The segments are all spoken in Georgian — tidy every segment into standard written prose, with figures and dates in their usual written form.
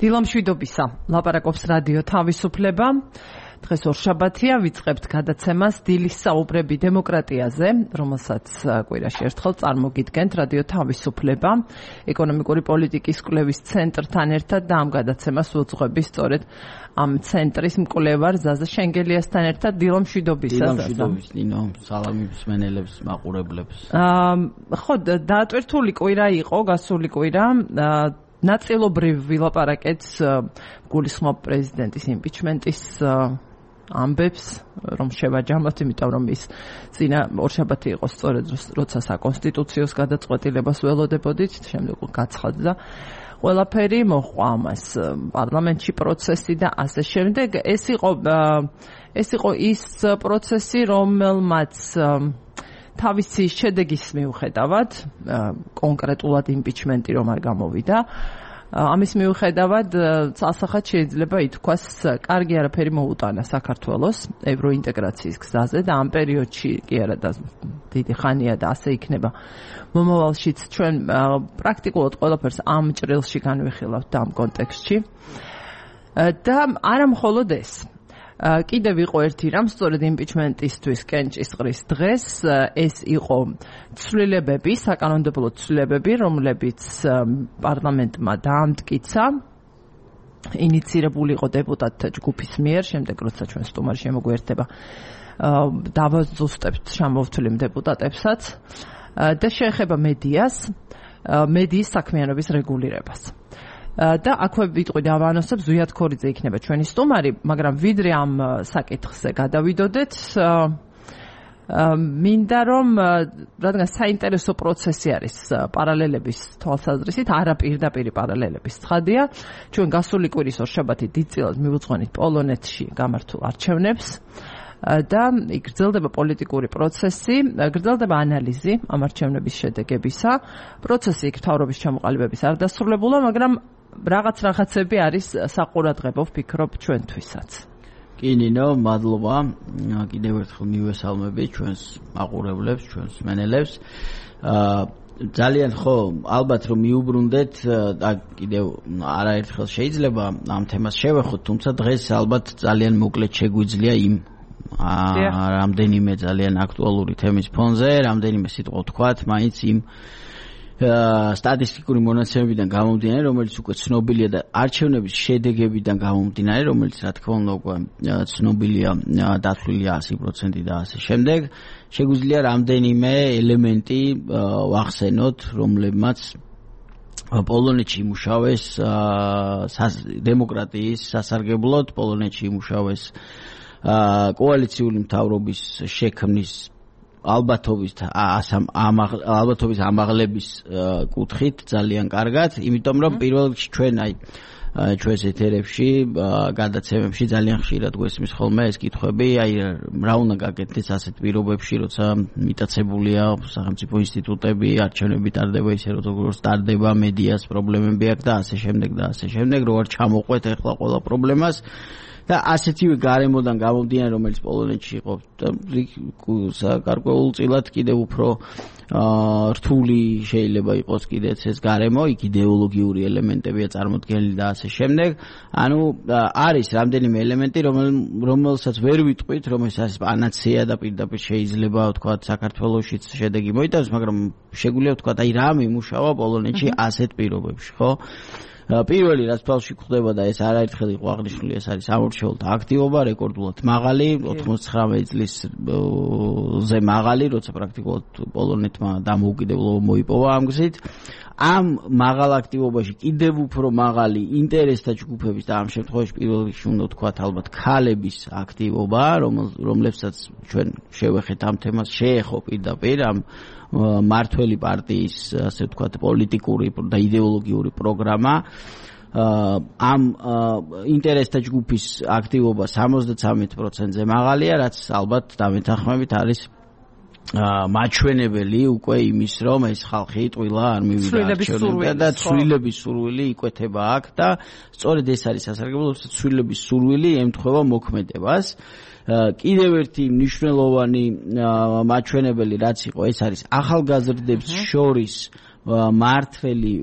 დილამშვიდობისა, ლაპარაკობს რადიო თავისუფლება. დღეს ორშაბათია, ვიწყებთ გადაცემას დილის საუბრები დემოკრატიაზე, რომელსაც კვირაში ერთხელ წარმოგიდგენთ რადიო თავისუფლება, ეკონომიკური პოლიტიკის კვლევის ცენტრთან ერთად და ამ გადაცემას უძღვების სწორედ ამ ცენტრის მკვლევარ ზაზა შენგელიასთან ერთად. დილამშვიდობისა. დილამშვიდობის, ნინო, სალამი მსმენელებს, მაყურებლებს. ხო, დაატვირთული კვირა იყო, გასული კვირა. ნაწილობრივ ვილაპარაკეთ გულისხმობ პრეზიდენტის იმპიჩმენტის ამბებს, რომ შევაჯამოთ, იმიტომ რომ ის წინა ორშაბათი იყო სწორედ როცა საკონსტიტუციოს გადაწყვეტილებას ველოდებოდით, შემდეგ გაცხადდა ყველაფერი, მოჰყვა ამას პარლამენტში პროცესი და ასე შემდეგ. ეს იყო ის პროცესი, რომელმაც თავისი შედეგის მიუხედავად, კონკრეტულად იმპიჩმენტი რომ არ გამოვიდა, ამის მიუხედავად წასახად შეიძლება ითქვას, კარგი არაფერი მოუტანა საქართველოს ევროინტეგრაციის გზაზე და ამ პერიოდში კი არა და დიდი ხანია და ასე იქნება მომავალშიც ჩვენ პრაქტიკულად ყველაფერს ამ ჭრილში განვიხილავთ და ამ კონტექსტში. და არა მხოლოდ ეს. კიდევ იყო ერთი რამ, სწორედ იმპიჩმენტისთვის კენჭისყრის დღეს, ეს იყო ცვლილებები, საკანონმდებლო ცვლილებები, რომლებიც პარლამენტმა დაამტკიცა, ინიცირებული იყო დეპუტატთა ჯგუფის მიერ, შემდეგ როცა ჩვენ სტუმარი შემოგვიერთება, დავაზუსტებთ შემოვთვლილ დეპუტატებსაც და შეეხება მედიას, მედიის საქმიანობის რეგულირებას. და აქვე ვიტყვი დავანოსებ, ზვიად ქორიძე იქნება ჩვენი სტუმარი, მაგრამ ვიდრე ამ საკითხზე გადავიდოდეთ, მინდა რომ რადგან საინტერესო პროცესი არის პარალელების თვალსაზრისით, არა პირდაპირი პარალელების ცხადია, ჩვენ გასული კვირის ორშაბათი დიდწილად მივუძღვენით პოლონეთში გამართულ არჩევნებს და გრძელდება პოლიტიკური პროცესი, გრძელდება ანალიზი ამ არჩევნების შედეგებისა. პროცესი იქ მთავრობის ჩამოყალიბების არ დასრულებულა, მაგრამ რაღაცები არის საყურადღებო, ვფიქრობ, ჩვენთვისაც. კი, ნინო, მადლობა. კიდევ ერთხელ მივესალმები ჩვენს მაყურებლებს, ჩვენს მსმენელებს. ძალიან ხო, ალბათ რომ მიუბრუნდეთ და კიდევ არაერთხელ შეიძლება ამ თემას შევეხოთ, თუმცა დღეს ალბათ ძალიან მოკლედ შეგვიძლია იმ რამდენიმე ძალიან აქტუალური თემის ფონზე, რამდენიმე სიტყვა ვთქვათ, მაინც იმ სტატისტიკური მონაცემებიდან გამომდინარე, რომელიც უკვე ცნობილია და არჩევნების შედეგებიდან გამომდინარე, რომელიც რა თქმა უნდა უკვე ცნობილია, დათვლილია 100% და ასე შემდეგ. შეგვიძლია რამდენიმე ელემენტი ვახსენოთ, რომლებმაც პოლონეთში იმუშავეს დემოკრატიის სასარგებლოდ, პოლონეთში იმუშავეს კოალიციური მთავრობის შექმნის ალბათობის ამაღლების კუთხით ძალიან კარგად, იმიტომ რომ პირველ რიგში ჩვენ ჩვენს ეთერებში, გადაცემებში ძალიან ხშირად გვესმის ხოლმე ეს კითხვები, რა უნდა გაკეთდეს ასეთ პირობებში, როცა მიტაცებულია სახელმწიფო ინსტიტუტები, არჩევნები ტარდება ისე, როგორც ტარდება, მედიას პრობლემები აქვს და ასე შემდეგ, რო არ ჩამოყვეთ ახლა ყველა პრობლემას. და ასეთივე გარემოდან გამომდინარე, რომელიც პოლონეთში იყო გარკვეულწილად კიდევ უფრო რთული შეიძლება იყოს კიდეც ეს გარემო, იქ იდეოლოგიური ელემენტებია წარმოდგენილი და ასე შემდეგ. ანუ არის რამდენიმე ელემენტი, რომელსაც ვერ ვიტყვით, რომ ეს არის პანაცეა და პირდაპირ შეიძლება ვთქვათ საქართველოშიც შედეგი მოიტანოს, მაგრამ შეგვიძლია ვთქვათ, რა მიმუშავა პოლონეთში ასეთ პირობებში, ხო? პირველი რაც თვალში გვხვდება და ეს არაერთხელ იყო აღნიშნული, ეს არის სამორჩეულთა აქტივობა, რეკორდულად მაღალი, 99 წლისზე მაღალი, როცა პრაქტიკულად პოლონეთმა დამოუკიდებლობა მოიპოვა ამ გზით. ამ მაღალ აქტივობაში კიდევ უფრო მაღალი ინტერესთა ჯგუფების და ამ შემთხვევაში პირველ რიგში უნდა ვთქვათ ალბათ ქალების აქტივობა, რომლებსაც ჩვენ შევეხეთ ამ თემას, შეეხო პირდაპირ ამ მართველი პარტიის, ასე ვთქვათ, პოლიტიკური და იდეოლოგიური პროგრამა. ამ ინტერესთა ჯგუფის აქტივობა 73%-ზე მაღალია, რაც ალბათ დამეთანხმებით არის მაჩვენებელი უკვე იმის, რომ ეს ხალხი ტყილა არ მივიდა არჩევნებიდან და ცვლილების სურვილი იკვეთება აქ და სწორედ ეს არის სასარგებლო, ცვლილების სურვილი ემთხვევა მოქმედებას. კიდევ ერთი მნიშვნელოვანი მაჩვენებელი რაც იყო, ეს არის ახალგაზრდებს შორის მართველი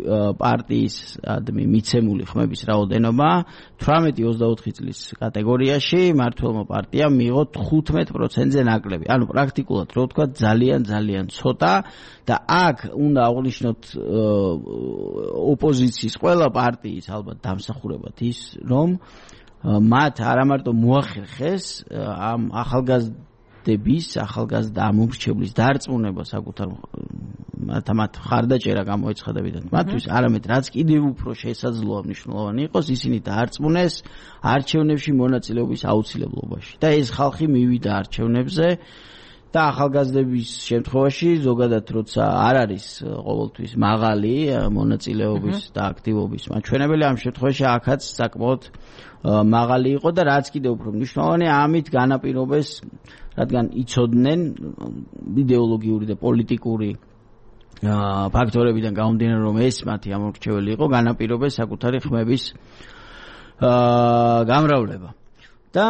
პარტიის მიცემული ხმების რაოდენობა 18-24 წლის კატეგორიაში მართველმა პარტიამ მიიღო 15%-ზე ნაკლები. ანუ პრაქტიკულად რო ვთქვა ძალიან ცოტა და აქ უნდა აღვნიშნოთ ოპოზიციის ყველა პარტიის ალბათ დამსახურებად ის რომ მათ არა მარტო მოახერხეს ამ ახალგაზრდა ამომრჩევლის დარწმუნება საკუთარ მათ ხარდაჭერა გამოეცხადებინათ მათთვის, არამედ რაც კიდევ უფრო შესაძლოა მნიშვნელოვანი იყოს, ისინი დაარწმუნეს არჩევნებში მონაწილეობის აუცილებლობაში. და ეს ხალხი მივიდა არჩევნებზე და ახალგაზრდების შემთხვევაში ზოგადად როცა არ არის ყოველთვის მაღალი მონაწილეობის და აქტივობის მაჩვენებელი, ამ შემთხვევაში აქაც საკმაოდ მაღალი იყო და რაც კიდევ უფრო მნიშვნელოვანი, ამით განაპირობეს, რადგან იცოდნენ იდეოლოგიური და პოლიტიკური ფაქტორებიდან გამომდინარე, რომ ეს მათი ამორჩეველი იყო, განაპირობეს საკუთარი ხმების გამრავლება. და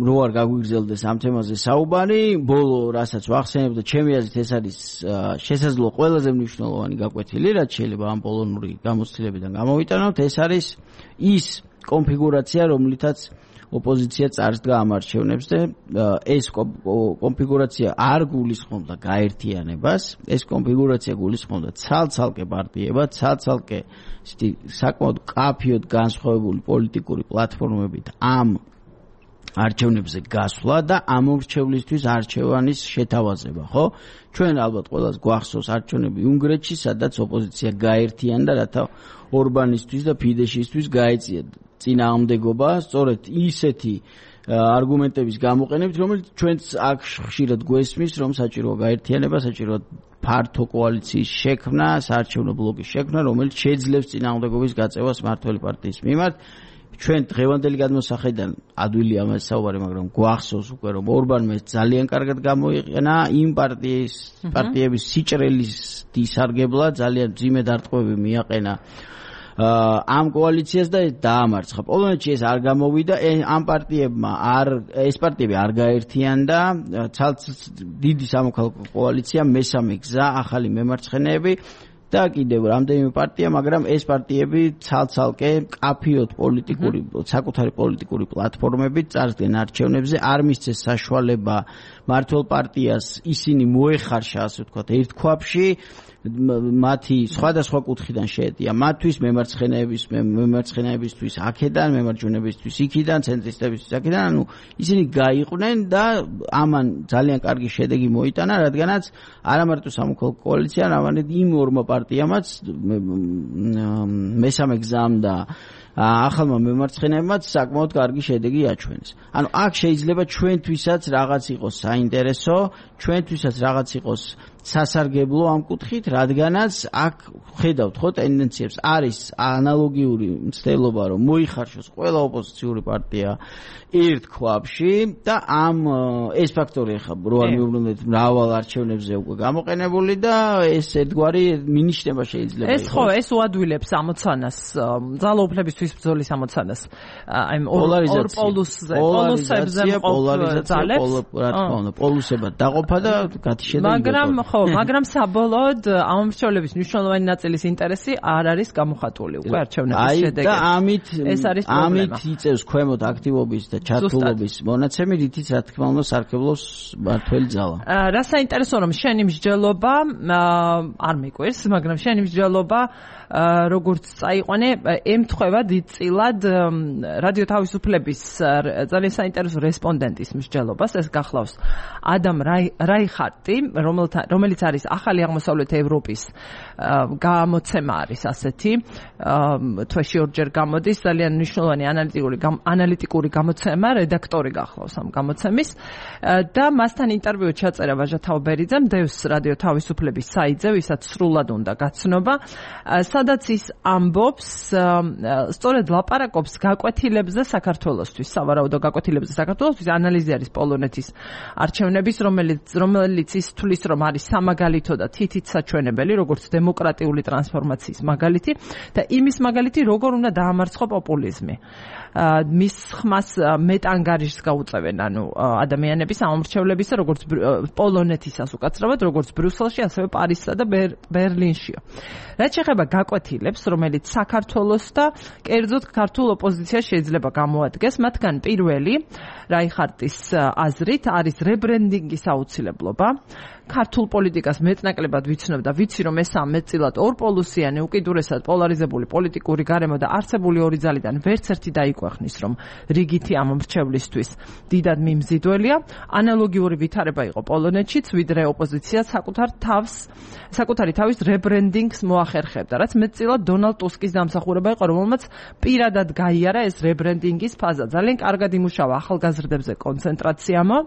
რო არ გაგვიგრძელდეს ამ თემაზე საუბარი, ბოლო რასაც ვახსენებ და ჩემი აზრით ეს არის შესაძლოა ყველაზე მნიშვნელოვანი გაკვეთილი, რაც შეიძლება ამ პოლონური გამოცდილებიდან გამოვიტანოთ, ეს არის ის კონფიგურაცია, რომლითაც ოპოზიცია წარსდგა ამ არჩევნებს და ეს კონფიგურაცია არ გულისხმობდა გაერთიანებას, ეს კონფიგურაცია გულისხმობდა ცალ-ცალკე პარტიებად, ცალ-ცალკე საკმაოდ კაფიოდ განსხვავებული პოლიტიკური პლატფორმებით ამ არჩევნებზე გასვლა და ამორჩევლისთვის არჩევანის შეთავაზება, ხო? ჩვენ ალბათ ყველას გვახსოვს არჩევნები უნგრეთში, სადაც ოპოზიცია გაერთიანდა, რათა ორბანისთვის და ფიდეშისთვის გაეწია წინააღმდეგობა, სწორედ ისეთი არგუმენტების გამოყენებით, რომელიც ჩვენც აქ ხშირად გვესმის, რომ საჭიროა გაერთიანება, საჭიროა ფართო კოალიციის შექმნა, საარჩევნო ბლოკის შექმნა, რომელიც შეძლებს წინააღმდეგობის გაწევას მართველი პარტიის მიმართ. ჩვენ დღევანდელი გადმოსახედიდან ადვილია ამაზე საუბარი, მაგრამ გვახსოვს უკვე, რომ ორბანმა ძალიან კარგად გამოიყენა იმ პარტიების სიჭრელის დისარგებლად, ძალიან მძიმე დარტყმები მიაყენა ამ კოალიციას და დაამარცხა. პოლონეთში ეს არ გამოვიდა, ამ პარტიებმა ეს პარტიები არ გაერთიანდა, დიდი სამოქალაქო კოალიცია, მესამე გზა, ახალი მემარცხენეები და კიდევ რამდენიმე პარტია, მაგრამ ეს პარტიები ცალ-ცალკე კაფიოდ საკუთარი პოლიტიკური პლატფორმებით წარსდგენ არჩევნებზე, არ მისცეს საშუალება მართლ პარტიას ისინი მოეხარშა, ასე ვთქვათ, ერთ ქვაბში, მათი სხვადასხვა კუთხიდან შეეტია მათთვის, მემარცხენეებისთვის აქედან, მემარჯვენეებისთვის იქიდან, ცენტრისტებისთვის აქედან, ანუ ისინი გაიყვნენ და ამან ძალიან კარგი შედეგი მოიტანა, რადგანაც არა მარტო სამოქალაქო კოალიციამ, არამედ იმ ორმა პარტიამაც, მესამე გზამ და ახალმა მემარცხენეებმაც საკმაოდ კარგი შედეგი აჩვენეს. ანუ აქ შეიძლება ჩვენთვისაც რაღაც იყოს საინტერესო, ჩვენთვისაც რაღაც იყოს სასარგებლო ამ კუთხით, რადგანაც აქ ხედავთ ხო ტენდენციებს, არის ანალოგიური მცდელობა, რომ მოიხარშოს ყველა ოპოზიციური პარტია ერთ ქვაბში და ეს ფაქტორი ახლა რო არ მიუბრუნდეთ მრავალ არჩევნებზე უკვე გამოყენებული და ეს ერთგვარი მინიშნება შეიძლება ეს ხო, ეს უადვილებს ამოცანას, ძალაუფლებისთვის ბრძოლის ამოცანას, აი ორ პოლუსებზე პოლუსებად დაყოფა და გათიშება. მაგრამ საბოლოოდ ამომრჩევლების მნიშვნელოვანი ნაწილის ინტერესი არ არის გამოხატული უკვე არჩევნების შედეგებში. და ეს არის პრობლემა. ამით იწევს ქვემოთ აქტივობის და ჩართულობის მონაცემი, რითიც რა თქმა უნდა სარგებლობს მართველი ძალა. რა საინტერესო რომ შენი მსჯელობა არ მიკვირს, მაგრამ შენი მსჯელობა როგორც წაიყვანე, ემთხვევა დიდწილად რადიო თავისუფლების ძალიან საინტერესო რესპონდენტის მსჯელობას, ეს გახლავს ადამ რაიხარტი, რომელიც არის ახალი აღმოსავლეთ ევროპის გამოცემა არის ასეთი, თვეში ორჯერ გამოდის, ძალიან მნიშვნელოვანი ანალიტიკური გამოცემა, რედაქტორი გახლავს ამ გამოცემის და მასთან ინტერვიუ ჩაწერა ვაჟა თაუბერიძემ დევს რადიო თავისუფლების საიტზე, ვისაც სრულად უნდა გაცნობა, სადაც ის ამბობს, სწორედ ლაპარაკობს გაკვეთილებზე საქართველოსთვის, სავარაუდო გაკვეთილებზე საქართველოსთვის, ანალიზი არის პოლონეთის არჩევნების, რომელიც ის თulis რომ არის სამაგალითო და თითით საჩვენებელი, როგორც დემოკრატიული ტრანსფორმაციის მაგალითი და იმის მაგალითი, როგორ უნდა დაამარცხო პოპულიზმი. მის ხმას მეტ ანგარიშს გაუწევენ, ანუ ადამიანების ამომრჩევლებისა, როგორც პოლონეთისას უკაცრავად, როგორც ბრიუსელში, ასევე პარიზსა და ბერლინშიო. რაც შეეხება გაკვეთილებს, რომელიც საქართველოს და კერძოდ ქართულ ოპოზიციას შეიძლება გამოადგეს, მათგან პირველი, რაიხარტის აზრით, არის რებრენდინგის აუცილებლობა. ქართულ პოლიტიკას მეტნაკლებად ვიცნობ და ვიცი, რომ ეს ამეტწილად ორპოლუსიანი, უკიდურესად პოლარიზებული პოლიტიკური გარემო და არსებული ორი ძალიდან ვერც ერთი დაიქვეყნის, რომ რიგითი ამომრჩევლისთვის დიდად მიმზიდველია. ანალოგიური ვითარება იყო პოლონეთშიც, ვიდრე ოპოზიცია საკუთარი თავის რებრენდინგს მოახერხებდა, რაც მეტწილად დონალდ ტუსკის დამსახურება იყო, რომელმაც პირადად გაიარა ეს რებრენდინგის ფაზა. ძალიან კარგად იმუშავა ახალგაზრდებზე კონცენტრაციამო,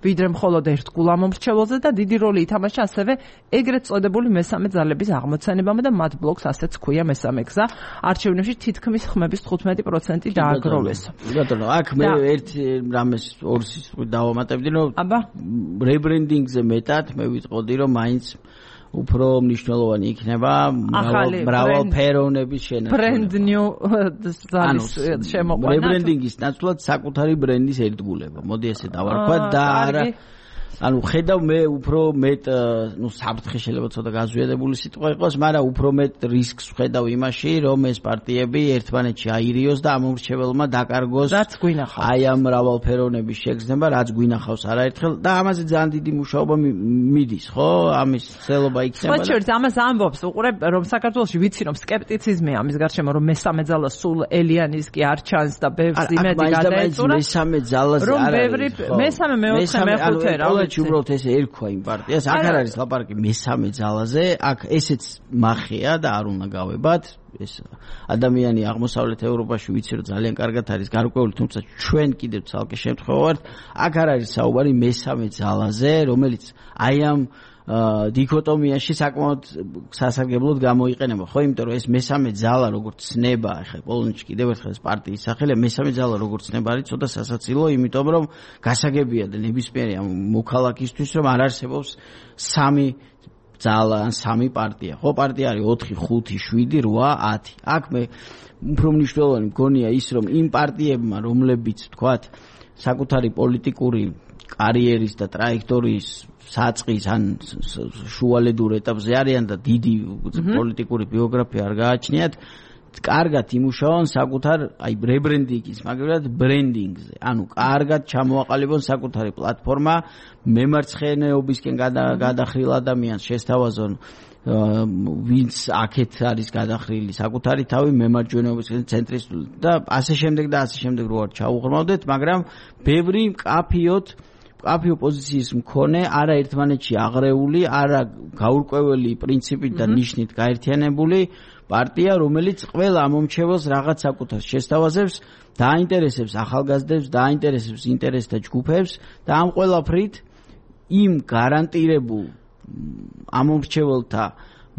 ვიდრე მხოლოდ ერთგულ ამომრჩეველზე და დიდი როლი ითამაშა ასევე ეგრეთ წოდებული მესამე ძალების აღმოცენებამ და მათ ბლოკს ასეც ჰქვია მესამე გზა. არჩევნებში თითქმის ხმების 15% დააგროვეს. ბატონო, აქ მე ერთი რამეს ორს დავამატებდი, რომ რებრენდინგზე მეტად მე ვიტყოდი, რომ მაინც უფრო მნიშვნელოვანი იქნება მრავალფეროვნების შენარჩუნება. Brand new ზალის შემოყვანა. რებრენდინგის ნაცვლად საკუთარი ბრენდის ერთგულება. მოდი ესე დავარქვა და არა ანუ ხედავ მე უფრო მეტ საფრთხე შეიძლება ცოტა გაზვიადებული სიტყვა იყოს, მაგრამ უფრო მეტ რისკს ვხედავ იმაში, რომ ეს პარტიები ერთმანეთში აირიოს და ამომრჩეველმა დაკარგოს აი ამ მრავალფეროვნების შეგრძნება, რაც გვინახავს არაერთხელ და ამაზე ძალიან დიდი მუშაობა მიდის, ხო? ამის ცელობა იქნება. ხოჩერთ ამას ამბობს, უყურებ, რომ საქართველოში ვიცი, რომ სკეპტიციზმია ამის გარშემო, რომ მესამე ძალა სულ ელიანის კი არ ჩანს და ბევრს იმედი გადაეწურა. მესამე ძალაზე არ არის. მესამე, მეოთხე, მეხუთე რა. უბრალოდ ესე ერქვა იმ პარტიას, აქ არ არის ლაპარაკი მესამე ძალაზე, აქ ესეც მახეა და არ უნდა გავებათ. ეს ადამიანი აღმოსავლეთ ევროპაში ვიცი, რომ ძალიან კარგად არის გარკვეული, თუმცა ჩვენ კიდევ ცალკე შემთხვევა ვართ. აქ არ არის საუბარი მესამე ძალაზე, რომელიც აი ამ დიქოტომიაში საკმაოდ სასარგებლოდ გამოიყენება, ხო, იმიტომ რომ ეს მესამე ძალა როგორც ცნება, ახლა პოლონეთში კიდევ ერთხელ ეს პარტიის სახელია, მესამე ძალა როგორც ცნება არის ცოტა სასაცილო, იმიტომ რომ გასაგებია და ნებისმიერი ამ მოქალაქისთვის, რომ არ არსებობს სამი ძალა ან სამი პარტია. ხო, პარტია არის 4, 5, 7, 8, 10. აქ მე უფრო მნიშვნელოვანი მგონია ის, რომ იმ პარტიებმა, რომლებიც თქვათ საკუთარი პოლიტიკური კარიერის და ტრაექტორიის საწყის ან შუალედურ ეტაპზე არიან და დიდი პოლიტიკური ბიოგრაფია არ გააჩნიათ, კარგად იმუშაონ საკუთარ აი რებრენდინგის, მაგრამ ბრენდინგზე. ანუ კარგად ჩამოაყალიბონ საკუთარი პლატფორმა, მემარცხენეობისკენ გადახრილ ადამიანს შესთავაზონ, ვინც აქეთ არის გადახრილი საკუთარი თავი მემარჯვენეობისკენ ცენტრისტული და ასე შემდეგ რო არ ჩაუღრმავდეთ, მაგრამ ბევრი მკაფიო პოზიციის მქონე, არა ერთმანეთში აღრეული, არა გაურკვეველი პრინციპით და ნიშნით გაერთიანებული პარტია, რომელიც ყველა ამომრჩეველს რაღაც საკუთარს შესთავაზებს, დაინტერესებს ახალგაზრდებს, დაინტერესებს ინტერესთა ჯგუფებს და ამ ყველაფრით იმ გარანტირებულ ამომრჩეველთა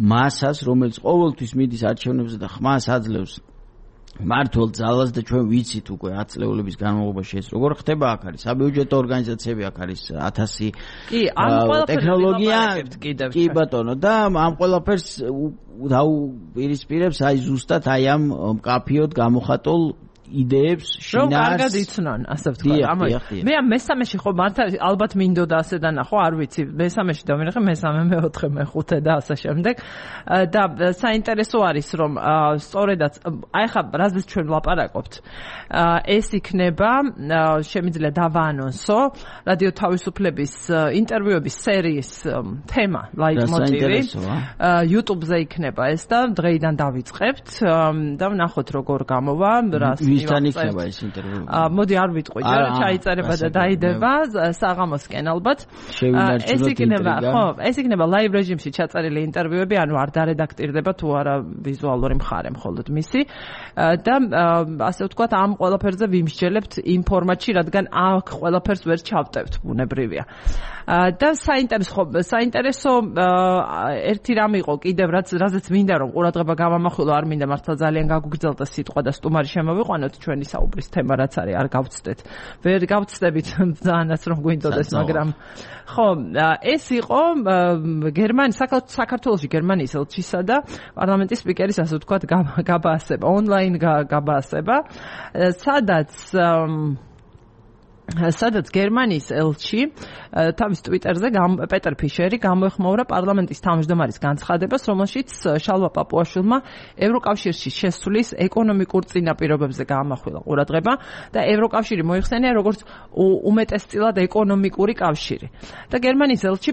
მასას, რომელიც ყოველთვის მიდის არჩევნებზე და ხმას აძლევს მართულ ძალას და ჩვენ ვიცით უკვე 10 წლეულების განმავლობაში ეს როგორ ხდება, აქ არის საბიუჯეტო ორგანიზაციები, აქ არის 1000 ტექნოლოგია, კი ბატონო და ამ ყველაფერს დაუპირისპირებს აი ზუსტად აი ამ მკაფიოდ გამოხატულ იდეებს შინას. რომ კარგად იცნან, ასე ვთქვა. მე ამ მესამეში ხო მართლა ალბათ მინდოდა ასე დანახო, არ ვიცი, მესამეში დავინახე, მესამე, მეოთხე, მეხუთე და ასე შემდეგ. და საინტერესო არის, რომ სწორედაც აი ხა რაზეც ჩვენ ვლაპარაკობთ, ეს იქნება შემიძლია დავაანონსო რადიო თავისუფლების ინტერვიუების სერიის თემა, ლაიტმოტივი. YouTube-ზე იქნება ეს და დღეიდან დავიწყებთ და ვნახოთ როგორ გამოვა, რას ვისთან იქნება ეს ინტერვიუ? მოდი არ ვიტყვი, რა ჩაიწერება და დაიდება საღამოსკენ ალბათ. ეს იქნება ლაივ რეჟიმში ჩაწერილი ინტერვიუები, ანუ არ დარედაქტირდება თუ არა ვიზუალური მხარე მხოლოდ მისი და ასე ვთქვათ, ამ ყველაფერზე ვიმსჯელებთ იმ ფორმატში, რადგან აქ ყველაფერს ვერ ჩავტევთ, ბუნებრივია. და საინტერესო ერთი რამ იყო კიდევ, რაზეც მინდა რომ ყურადღება გავამახვილო, არ მინდა მართლა ძალიან გაგუგრძელდეს სიტყვა და სტუმარი შემოვიყვანო. დავუყენოთ ჩვენი საუბრის თემა რაც არის არ გავცდეთ. ვერ გავცდებით ძალიანაც რომ გვინდოდეს, მაგრამ ხო, ეს იყო საქართველოში გერმანიის ელჩისა და პარლამენტის სპიკერის ასე ვთქვათ გაბაასება, ონლაინ გაბაასება, სადაც გერმანიის ელჩი თავის ტვიტერზე პეტერ ფიშერი გამოეხმაურა პარლამენტის თავმჯდომარის განცხადებას, რომელშიც შალვა პაპუაშვილმა ევროკავშირში შესვლის ეკონომიკურ წინაპირობებზე გაამახვილა ყურადღება და ევროკავშირი მოიხსენია როგორც უმეტესწილად ეკონომიკური კავშირი. და გერმანიის ელჩი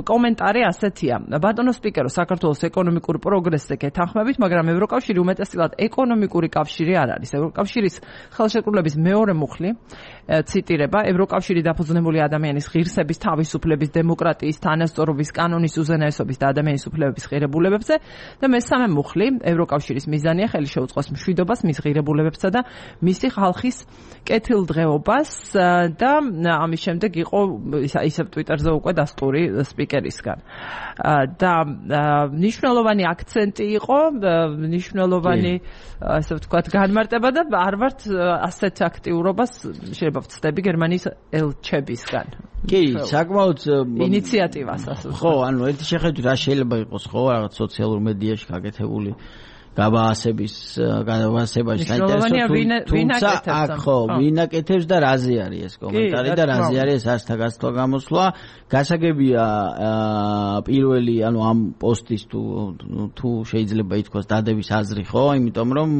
კომენტარი ასეთია: ბატონო სპიკერო, საქართველოს ეკონომიკურ პროგრესზე გეთანხმებით, მაგრამ ევროკავშირი უმეტესწილად ეკონომიკური კავშირი არ არის. ევროკავშირის ხელშეკრულების მეორე მუხლი ციტირება ევროკავშირი დაფუძნებული ადამიანის ღირსების, თავისუფლების, დემოკრატიის, თანასწორობის, კანონის უზენაესობის და ადამიანის უფლებების ღირებულებებზე და მესამე მუხლი ევროკავშირის მიზანია ხელი შეუწყოს მშვიდობას, მის ღირებულებებსა და მისი ხალხის კეთილდღეობას და ამის შემდეგ იყო ისევ ტვიტერზე უკვე დასტური სპიკერისგან. და მნიშვნელოვანი აქცენტი იყო, მნიშვნელოვანი ასე ვთქვათ განმარტება და არ ვართ ასეთ აქტიურობას შეიძლება ვწდები გერმანიის ელჩებისგან. კი, საკმაოდ ინიციატივას ასე ვთქვათ. ხო, ანუ ერთი შეხედვით რა შეიძლება იყოს, ხო, რაღაც სოციალურ მედიაში გაკეთებული გაბაასებაში საინტერესო, თუმცა აქ ხო, ვინ აკეთებს და რაზე არის ეს კომენტარი და რაზე არის ეს ასთა გასვლა გამოსვლა. გასაგებია პირველი, ანუ ამ პოსტის თუ შეიძლება ითქვას დადების აზრი, ხო, იმიტომ რომ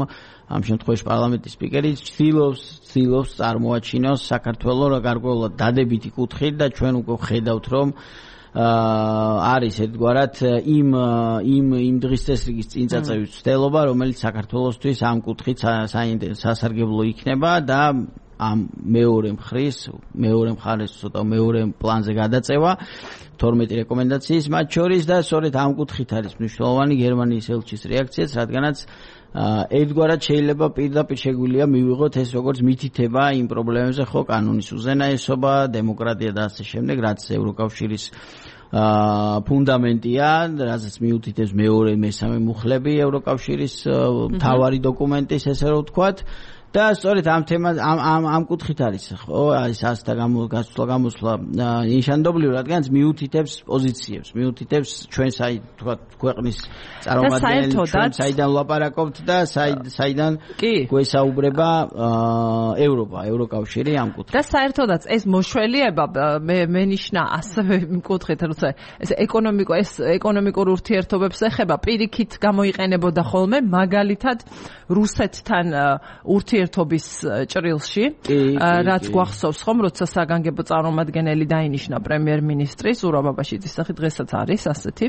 ამ შემთხვევაში პარლამენტის სპიკერი ცდილობს წარმოაჩინოს საქართველოს გარკვეულად დადებითი კუთხით და ჩვენ უკვე ხედავთ რომ არის ერთგვარად იმ დღის წესრიგის წინწაწევის ცდელობა, რომელიც საქართველოსთვის ამ კუთხით სასარგებლო იქნება და ამ მეორე მხარეს ცოტა მეორე პლანზე გადაწევა 12 რეკომენდაციის მათ შორის და სწორედ ამ კუთხით არის მნიშვნელოვანი გერმანიის ელჩის რეაქციაც, რადგანაც ერთგვარად შეიძლება პირდაპირ შეგვიძლია მივიღოთ ეს როგორც მითითება იმ პრობლემებზე, ხო, კანონის უზენაესობა, დემოკრატია და ასე შემდეგ, რაც ევროკავშირის ფუნდამენტია, რასაც მიუთითებს მეორე, მესამე მუხლები ევროკავშირის მთავარი დოკუმენტის, ესე რომ ვთქვათ. და სწორედ ამ თემას ამ კუთხით არის, ხო, არის ასთა გამოსვლა ნიშანდობლივ, რადგანაც მიუთითებს პოზიციებს, მიუთითებს ჩვენ თქვა ქვეყნის წარმომადგენელი, ჩვენ საიდან ვლაპარაკობთ და საიდან გვესაუბრება ევროკავშირი ამ კუთხით. და საერთოდაც ეს მოშველიება მენიშნა ასევე იმ კუთხით, როცა ეს ეკონომიკურ ურთიერთობებს ეხება, პირიქით გამოიყენებოდა ხოლმე მაგალითად რუსეთთან ურთიერთობის ჭრილში, რაც გვახსოვს ხომ, როცა საგანგებო წარმომადგენელი დაინიშნა პრემიერ-მინისტრის ზურაბ აბაშიძის სახით, დღესაც არის ასეთი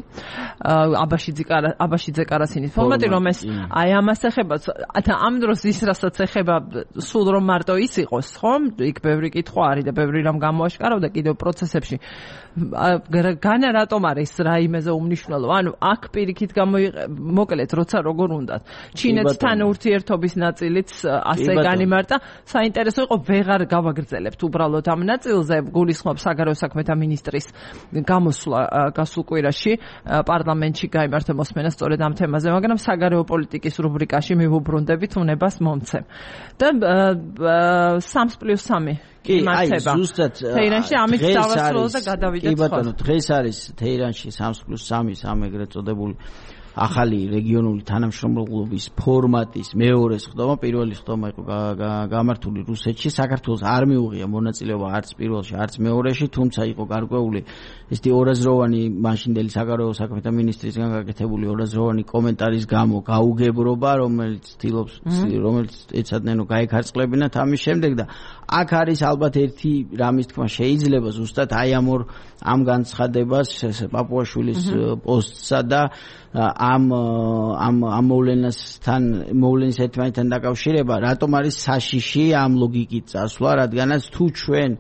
აბაშიძე კარასინის ფორმატი, რომ ეს აი ამას ეხება და ამ დროს ის რასაც ეხება სულ რომ მარტო ის იყოს, ხომ, იქ ბევრი კითხვა არის და ბევრი რამ გამოაშკარავდა კიდევ პროცესებში. განა რატომ არის რაიმეზე უმნიშვნელო? ანუ აქ პირიქით მოკლედ, როცა როგორ უნდა ჩინეთთან ურთიერთობის ნაწილიც ასე განიმარტა, საინტერესო იყო ვეღარ გავაგრძელებთ უბრალოდ ამ ნაწილზე, გულისხმობ საგარეო საქმეთა მინისტრის გამოსვლა გასულ კვირაში პარლამენტში გაიმართა მოსმენა სწორედ ამ თემაზე, მაგრამ საგარეო პოლიტიკის რუბრიკაში მივუბრუნდებით უნებას მომცემ. და 3+3 კი, აი ზუსტად თეირანში ამით დავასრულო და გადავიდეთ. კი ბატონო, დღეს არის თეირანში 3+3 ამ ეგრეთ წოდებული ახალი რეგიონული თანამშრომლობის ფორმატის მეორე სხდომა, პირველი სხდომა იყო გამართული რუსეთში. საქართველოს არ მიუღია მონაწილეობა არც პირველში, არც მეორეში, თუმცა იყო გარკვეული ესეთი ორაზროვანი მაშინდელი საგარეო საქმეთა მინისტრისგან გაკეთებული ორაზროვანი კომენტარის გამო გაუგებრობა, რომელიც ეცადნენ რომ გაეკარწყლებინათ ამის შემდეგ და აქ არის ალბათ ერთი რამის თქმა შეიძლება ზუსტად აი ამ განცხადებას პაპუაშვილის პოსტსა და ამ მოვლენის ერთმანეთთან დაკავშირება, რატომ არის საშიში ამ ლოგიკით წასვლა, რადგანაც თუ ჩვენ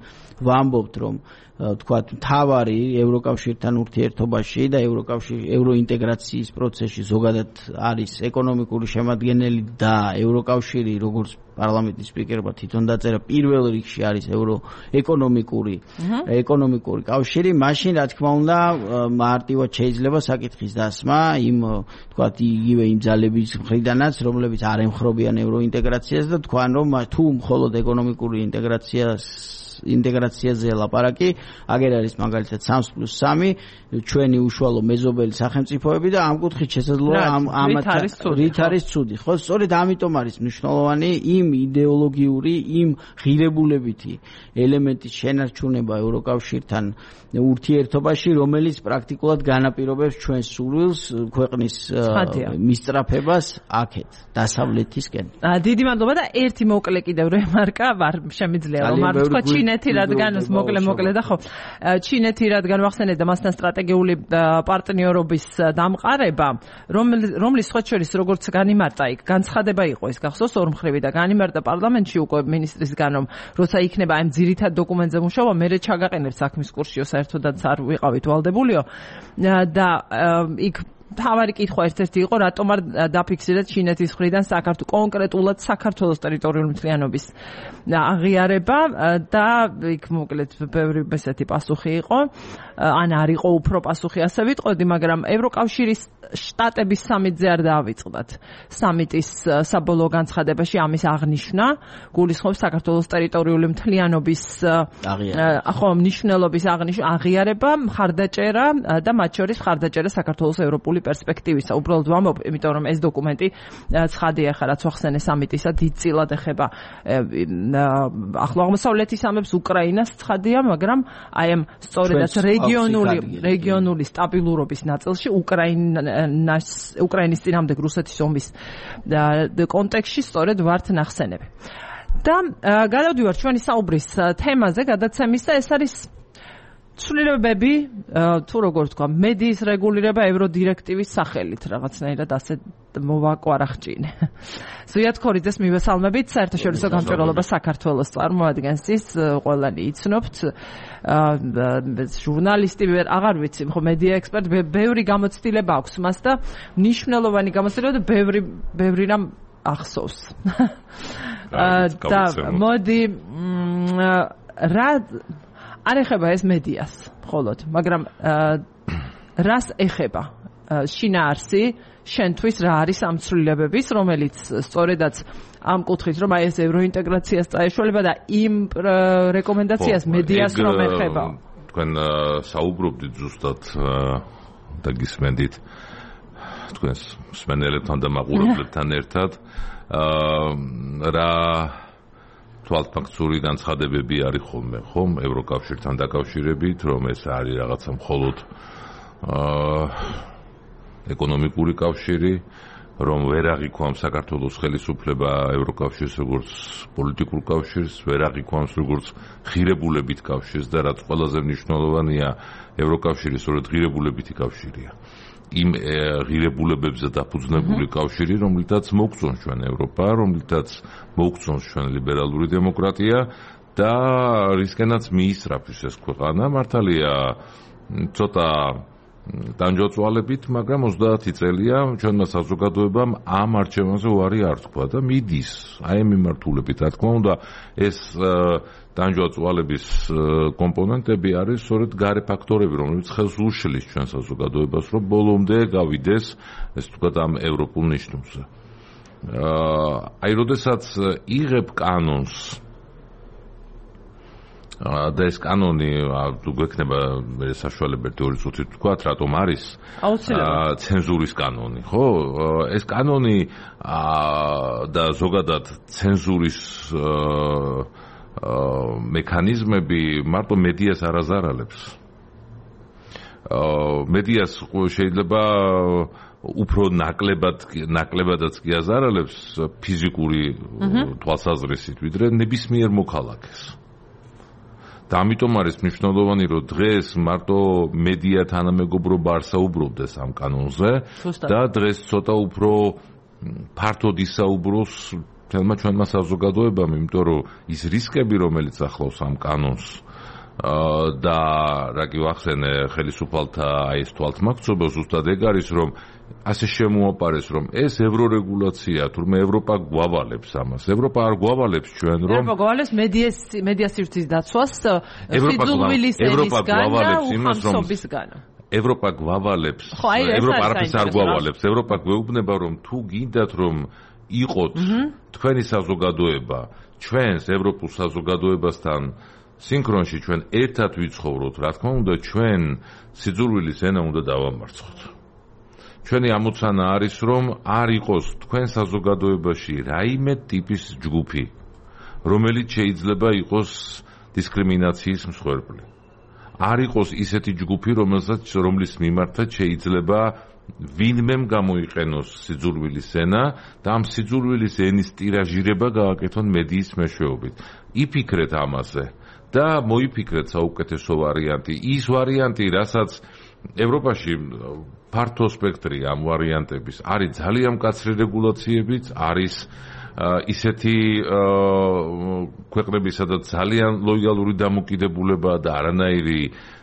ვამბობთ, რომ თქვათ მთავარი ევროკავშირთან ურთიერთობაში და ევროინტეგრაციის პროცესში ზოგადად არის ეკონომიკური შემადგენელი და ევროკავშირი როგორც პარლამენტის სპიკერმა თვითონ დაწერა პირველ რიგში არის ეკონომიკური კავშირი, მაშინ რა თქმა უნდა მარტივად შეიძლება საკითხის დასმა იმ თქვათ იგივე იმ ძალების მხრიდანაც, რომლებიც არ ემხრობიან ევროინტეგრაციას და თქვან რომ თუ მხოლოდ ეკონომიკური ინტეგრაციაზე ლაპარაკი, აგერ არის მაგალითად 3+3 ჩვენი უშუალო მეზობელი სახელმწიფოები და ამ კუთხით შესაძლოა რით არის ცუდი. ხო, სწორედ ამიტომ არის მნიშვნელოვანი იმ იდეოლოგიური, იმ ღირებულებითი ელემენტის შენარჩუნება ევროკავშირთან ურთიერთობაში, რომელიც პრაქტიკულად განაპირობებს ჩვენს სურვილს ქვეყნის მისწრაფებას აქეთ, დასავლეთისკენ. დიდი მადლობა და ერთი მოკლე კიდევ რემარკა ვარ შემიძლია რომ არ თქვა ჩინეთი რადგან მოკლე და ხო ჩინეთი რადგან ვახსენეთ და მასთან სტრატეგიული პარტნიორობის დამყარება რომლის სხვა შორის როგორც განიმარტა იქ განცხადება იყო ეს გახსოვს ორმხრივი და განიმარტა პარლამენტში უკვე მინისტრისგან რომ როცა იქნება ამ ძირითად დოკუმენტზე მუშაობა მე ჩაგაყენებთ საქმის კურსიო საერთოდაც არ ვიყავით ვალდებულიო და იქ თავარი კითხვა ერთ-ერთი იყო რატომ არ დაფიქსირეთ ჩინეთის მხრიდან კონკრეტულად საქართველოს ტერიტორიული მთლიანობის აღიარება და იქ მოკლედ ბევრი ესეთი პასუხი იყო ან არ იყო უფრო პასუხი ასე ვიტყოდი, მაგრამ ევროკავშირის შტატების სამიტზე არ დაავიწყდათ. სამიტის საბოლოო განცხადებაში ამის აღნიშვნა გულისხმობს საქართველოს ტერიტორიული მთლიანობის მნიშვნელობის აღიარება, მხარდაჭერა და მათ შორის მხარდაჭერა საქართველოს ევროპული პერსპექტივისა. უბრალოდ ვამბობ, იმიტომ რომ ეს დოკუმენტი ცხადია ხა რაც ვახსენე სამიტისა დიდწილად ეხება ახლო აღმოსავლეთის ამებს, უკრაინას ცხადია, მაგრამ აი ამ სწორედაც რეგიონული სტაბილურობის ნაწილში უკრაინის წინამდებ რუსეთის ომის კონტექსტში სწორედ ვართ ნახსენები. და გადავდივარ ჩვენი საუბრის თემაზე, გადაცემის და ეს არის ცვლილებები, თუ როგორ თქვა, მედიის რეგულირება ევროდირექტივის სახელით, რაღაცნაირად ასე მოვაკვარახჭინე. ზვიად ქორიძეს მივესალმებით, საერთაშორისო გამჭვირვალობა საქართველოს წარმოადგენს ის, ყველანი იცნობთ, ჟურნალისტი, აღარ ვიცი, ხო მედია ექსპერტი, ბევრი გამოცდილება აქვს მას და მნიშვნელოვანი გამოცდილება და ბევრი რამ ახსოვს. და მოდი რა არ ეხება ეს მედიას მხოლოდ, მაგრამ რას ეხება შინაარსი შენთვის რა არის ამ ცვლილებების, რომელიც სწორედაც ამ კუთხით რომ აი ეს ევროინტეგრაციას წაეშველება და იმ რეკომენდაციას მედიას რომ ეხება. თქვენ საუბრობდით ზუსტად და გისმენდით თქვენს მსმენელებთან და მაყურებლებთან ერთად რა თვალთფაქციური განცხადებები არის ხოლმე, ხომ, ევროკავშირთან დაკავშირებით, რომ ეს არის რაღაცა მხოლოდ ეკონომიკური კავშირი, რომ ვერ აღიქვამს საქართველოს ხელისუფლება ევროკავშირს როგორც პოლიტიკურ კავშირს, ვერ აღიქვამს როგორც ღირებულებით კავშირს და რაც ყველაზე მნიშვნელოვანია, ევროკავშირი სწორედ ღირებულებითი კავშირია. იმ ღირებულებებზე დაფუძნებული კავშირი, რომლითაც მოგწონს ჩვენ ევროპა, რომლითაც მოგწონს ჩვენ ლიბერალური დემოკრატია და რისკენაც მიისწრაფის ეს ქვეყანა. მართალია ცოტა ტანჯვაწვალებით, მაგრამ 30 წელია ჩვენმა საზოგადოებამ ამ არჩევანზე უარი არ თქვა და მიდის აი ამ მიმართულებით. რა თქმა უნდა, ეს ტანჯვაწვალების კომპონენტები არის სწორედ გარე ფაქტორები, რომლებიც ხელს უშლის ჩვენ საზოგადოებას, რომ ბოლომდე გავიდეს ეს თქვათ ამ ევროპულ ნიშნულზე. აი, როდესაც იღებ კანონს და ეს კანონი თუ გვექნება საშუალება 2 წუთით თქვა, რატომ არის ცენზურის კანონი, ხო? ეს კანონი და ზოგადად ცენზურის მექანიზმები მარტო მედიას არ აზარალებს. მედიას შეიძლება უფრო ნაკლებადაც კი აზარალებს ფიზიკური თვალსაზრისით, ვიდრე ნებისმიერ მოქალაქეს. და ამიტომ არის მნიშვნელოვანი, რომ დღეს მარტო მედია თანამეგობრობა არ საუბრობდეს ამ კანონზე და დღეს ცოტა უფრო ფართოდ ისაუბროს ჩვენმა საზოგადოებამ, იმიტომ რომ ის რისკები, რომელიც ახლავს ამ კანონს, და რა გივახსენე ხელისუფალთა აი ეს თვალთმაქცობა ზუსტად ეგ არის რომ ასე შემოაპარეს რომ ეს ევრორეგულაცია თურმე ევროპა გვავალებს ამას ევროპა არ გვავალებს ჩვენ რომ ევროპა გვავალებს მედია სივრცის დაცვას სიძულვილის ენისგან და უხამსობისგან ევროპა გვავალებს ევროპა არაფერს არ გვავალებს ევროპა გვეუბნება რომ თუ გინდათ რომ იყოთ თქვენი საზოგადოება ჩვენს ევროპულ საზოგადოებასთან სინქრონში ჩვენ ერთად ვიცხოვროთ რა თქმა უნდა ჩვენ სიძულვილის ენა უნდა დავამარცხოთ ჩვენი ამოცანა არის რომ არ იყოს თქვენ საზოგადოებაში რაიმე ტიპის ჯგუფი რომელიც შეიძლება იყოს დისკრიმინაციის მსხვერპლი არ იყოს ისეთი ჯგუფი რომლის მიმართაც შეიძლება ვინმემ გამოიყენოს სიძულვილის ენა და ამ სიძულვილის ენის ტირაჟირება გააკეთონ მედიის მეშვეობით იფიქრეთ ამაზე და მოიფიქრეთ საუკეთესო ვარიანტი ის ვარიანტი რასაც ევროპაში ფართო სპექტრი ამ ვარიანტების არის ძალიან მკაცრი რეგულაციებიც არის ისეთი ქვეყნები სადაც ძალიან ლოიალური დამოკიდებულება და არანაირი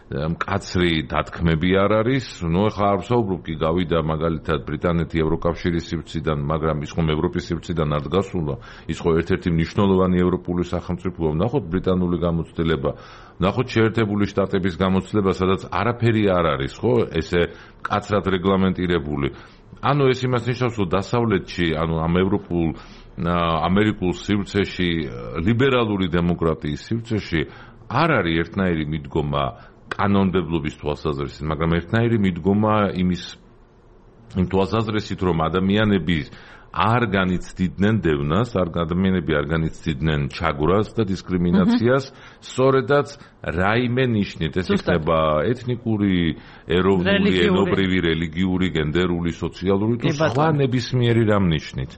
მკაცრი დათქმები არ არის ნუ ახლა არ ვსაუბრობ კი გავიდა მაგალითად ბრიტანეთი ევროკავშირის სივრციდან მაგრამ ის ხომ ევროპის სივრციდან არ დგასულა ის ხო ერთ-ერთი მნიშვნელოვანი ევროპული სახელმწიფოა ნახოთ ბრიტანული გამოცდილება ნახოთ შეერთებული შტატების გამოცდილება სადაც არაფერი არ არის ხო ესე მკაცრად რეგლამენტირებული ანუ ეს იმას ნიშნავს რომ დასავლეთში ანუ ამ ევროპულ ამერიკულ სივრცეში ლიბერალური დემოკრატიის სივრცეში არ არის ერთნაირი მიდგომა კანონმდებლობის თვალსაზრისით, მაგრამ ერთნაირი მიდგომა იმ თვალსაზრისით, რომ ადამიანები არ განიცდიდნენ დევნას, ადამიანები არ განიცდიდნენ ჩაგვრას და დისკრიმინაციას, სწორედაც რაიმე ნიშნით, ეს იქნება ეთნიკური, ეროვნული, ენობრივი, რელიგიური, გენდერული, სოციალური თუ სხვა ნებისმიერი რამ ნიშნით.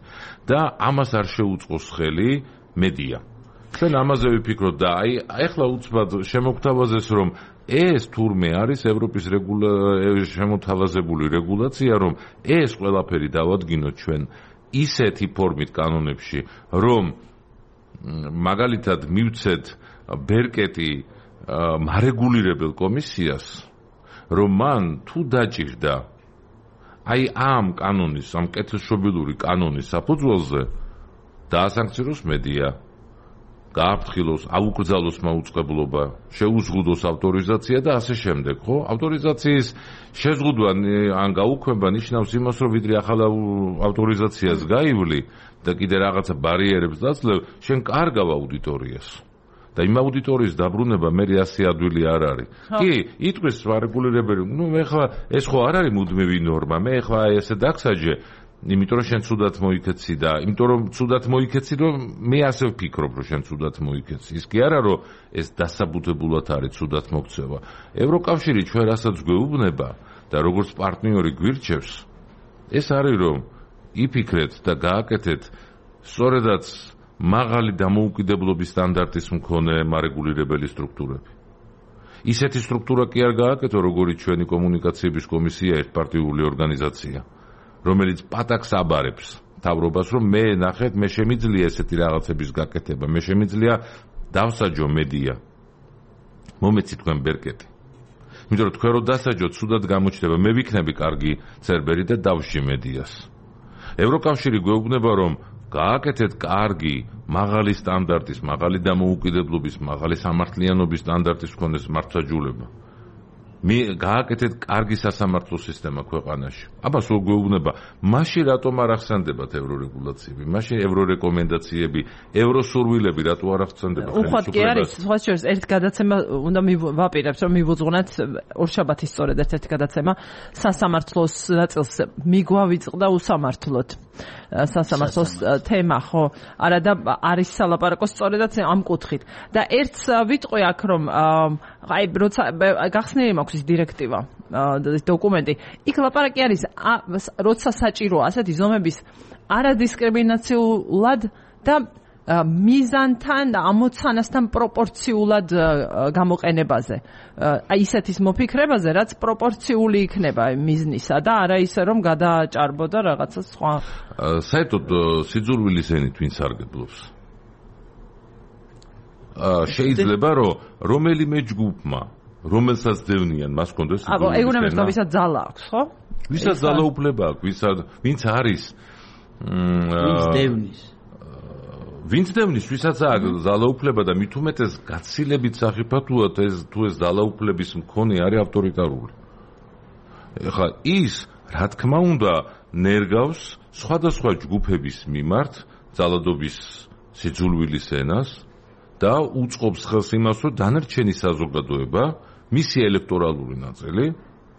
და ამას არ შეუწყოს ხელი მედია. ჩვენ ამაზე ვიფიქროთ და აი ახლა უცბად შემოგთავაზეს რომ ეს თურმე არის ევროპის შემოთავაზებული რეგულაცია რომ ეს ყველაფერი დავადგინოთ ჩვენ ისეთი ფორმით კანონებში რომ მაგალითად მივცეთ ბერკეტი მარეგულირებელ კომისიას რომ მან თუ დაჭირდა აი ამ კანონის ამ კეთილშობილური კანონის საფუძველზე დაასანქციონოს მედია გააფრთხილოს, აუკრძალოს მაუწყებლობა, შეუზღუდოს ავტორიზაცია და ასე შემდეგ, ხო? ავტორიზაციის შეზღუდვა ან გაუქმება ნიშნავს იმას, რომ ვიდრე ახალ ავტორიზაციას გაივლი და კიდე რაღაცა ბარიერებს დაცლევ, შენ კარგავ აუდიტორიას. და იმ აუდიტორიის დაბრუნება მე 100 ადვილი არ არის. კი, იტყვის რეგულირებელი, ნუ ეხლა ეს ხო არ არის მუდმივი ნორმა, მე ეხლა ესე დაგსაჯე იმიტომ რომ შენ ცუდად მოიქეცი და იმიტომ რომ ცუდად მოიქეცი რომ მე ასე ვფიქრობ რომ შენ ცუდად მოიქეცი ის კი არა რომ ეს დასაბუთებულად არის ცუდად მოქცევა ევროკავშირი ჩვენ რასაც გვეუბნება და როგორც პარტნიორი გვირჩევს ეს არის რომ იფიქრეთ და გააკეთეთ სწორედაც მაღალი დამოუკიდებლობის სტანდარტის მქონე მარეგულირებელი სტრუქტურები ისეთი სტრუქტურა კი არ გააკეთო როგორც ჩვენი კომუნიკაციების კომისია ერთპარტიული ორგანიზაცია რომელიც პატაკს აბარებს თავრობას რომ მე ნახეთ მე შემიძლია ესეთი რაღაცების გაკეთება მე შემიძლია დავსაჯო მედია მომეცი თქვენ ბერკეტი იმიტომ რომ თქვენ რო დასაჯოთ სუდად გამოჩნდება მე ვიქნები კარგი ცერბერი და დავში მედიას ევროკავშირი გვეუბნება რომ გააკეთეთ კარგი მაღალი სტანდარტის მაღალი დამოუკიდებლობის მაღალი სამართლიანობის სტანდარტის მქონე მართლმსაჯულება მე გააკეთეთ კარგი სასამართლო სისტემა ქვეყანაში. აბა სულ გვეუბნება, მაშინ რატომ არ ახსენდებათ ევრორეგულაციები, მაშინ ევრორეკომენდაციები, ევროსურვილები რატო არ ახსენდება ხელისუფლებას? უხვად კი არის, სხვა შორის ერთ გადაცემა უნდა ვაპირებთ, რომ მივუძღვნათ ორშაბათის სწორედ ერთ-ერთი გადაცემა სასამართლოს ნაწილს მიგვავიწყდა უსამართლოდ. სასამართლოს თემა ხო არა და არის სალაპარაკო სწორედაც ამ კუთხით. და ერთს ვიტყვი აქ რომ აი როცა გახსნილი მაქვს ის დირექტივა დოკუმენტი იქ ლაპარაკი არის როცა საჭიროა ასეთი ზომების არადისკრიმინაციულად და მიზანთან და ამოცანასთან პროპორციულად გამოყენებაზე. აი ისეთის მოფიქრებაზე, რაც პროპორციული იქნება მიზნისა და არა ისე რომ გადააჭარბოდა რაღაცა სხვა. საერთოდ სიძულვილის ენით ვინ სარგებლობს? შეიძლება რომ რომელიმე ჯგუფმა რომელსაც დევნიან მას კონდეს ეგონებს რომ ვისაც ძალა აქვს ხო ვისაც ძალაუფლება აქვს ვინც არის ვინც დევნის ვისაც აქვს ძალაუფლება და მით უმეტეს გაცილებით სახიფათოა თუ ეს ძალაუფლების მქონე არის ავტორიტარული ეხლა ის რა თქმა უნდა ნერგავს სხვადასხვა ჯგუფების მიმართ ძალადობის სიძულვილის ენას და უწყობს ხელს იმას რომ დანარჩენი საზოგადოება მისი ელექტორალური ნაწილი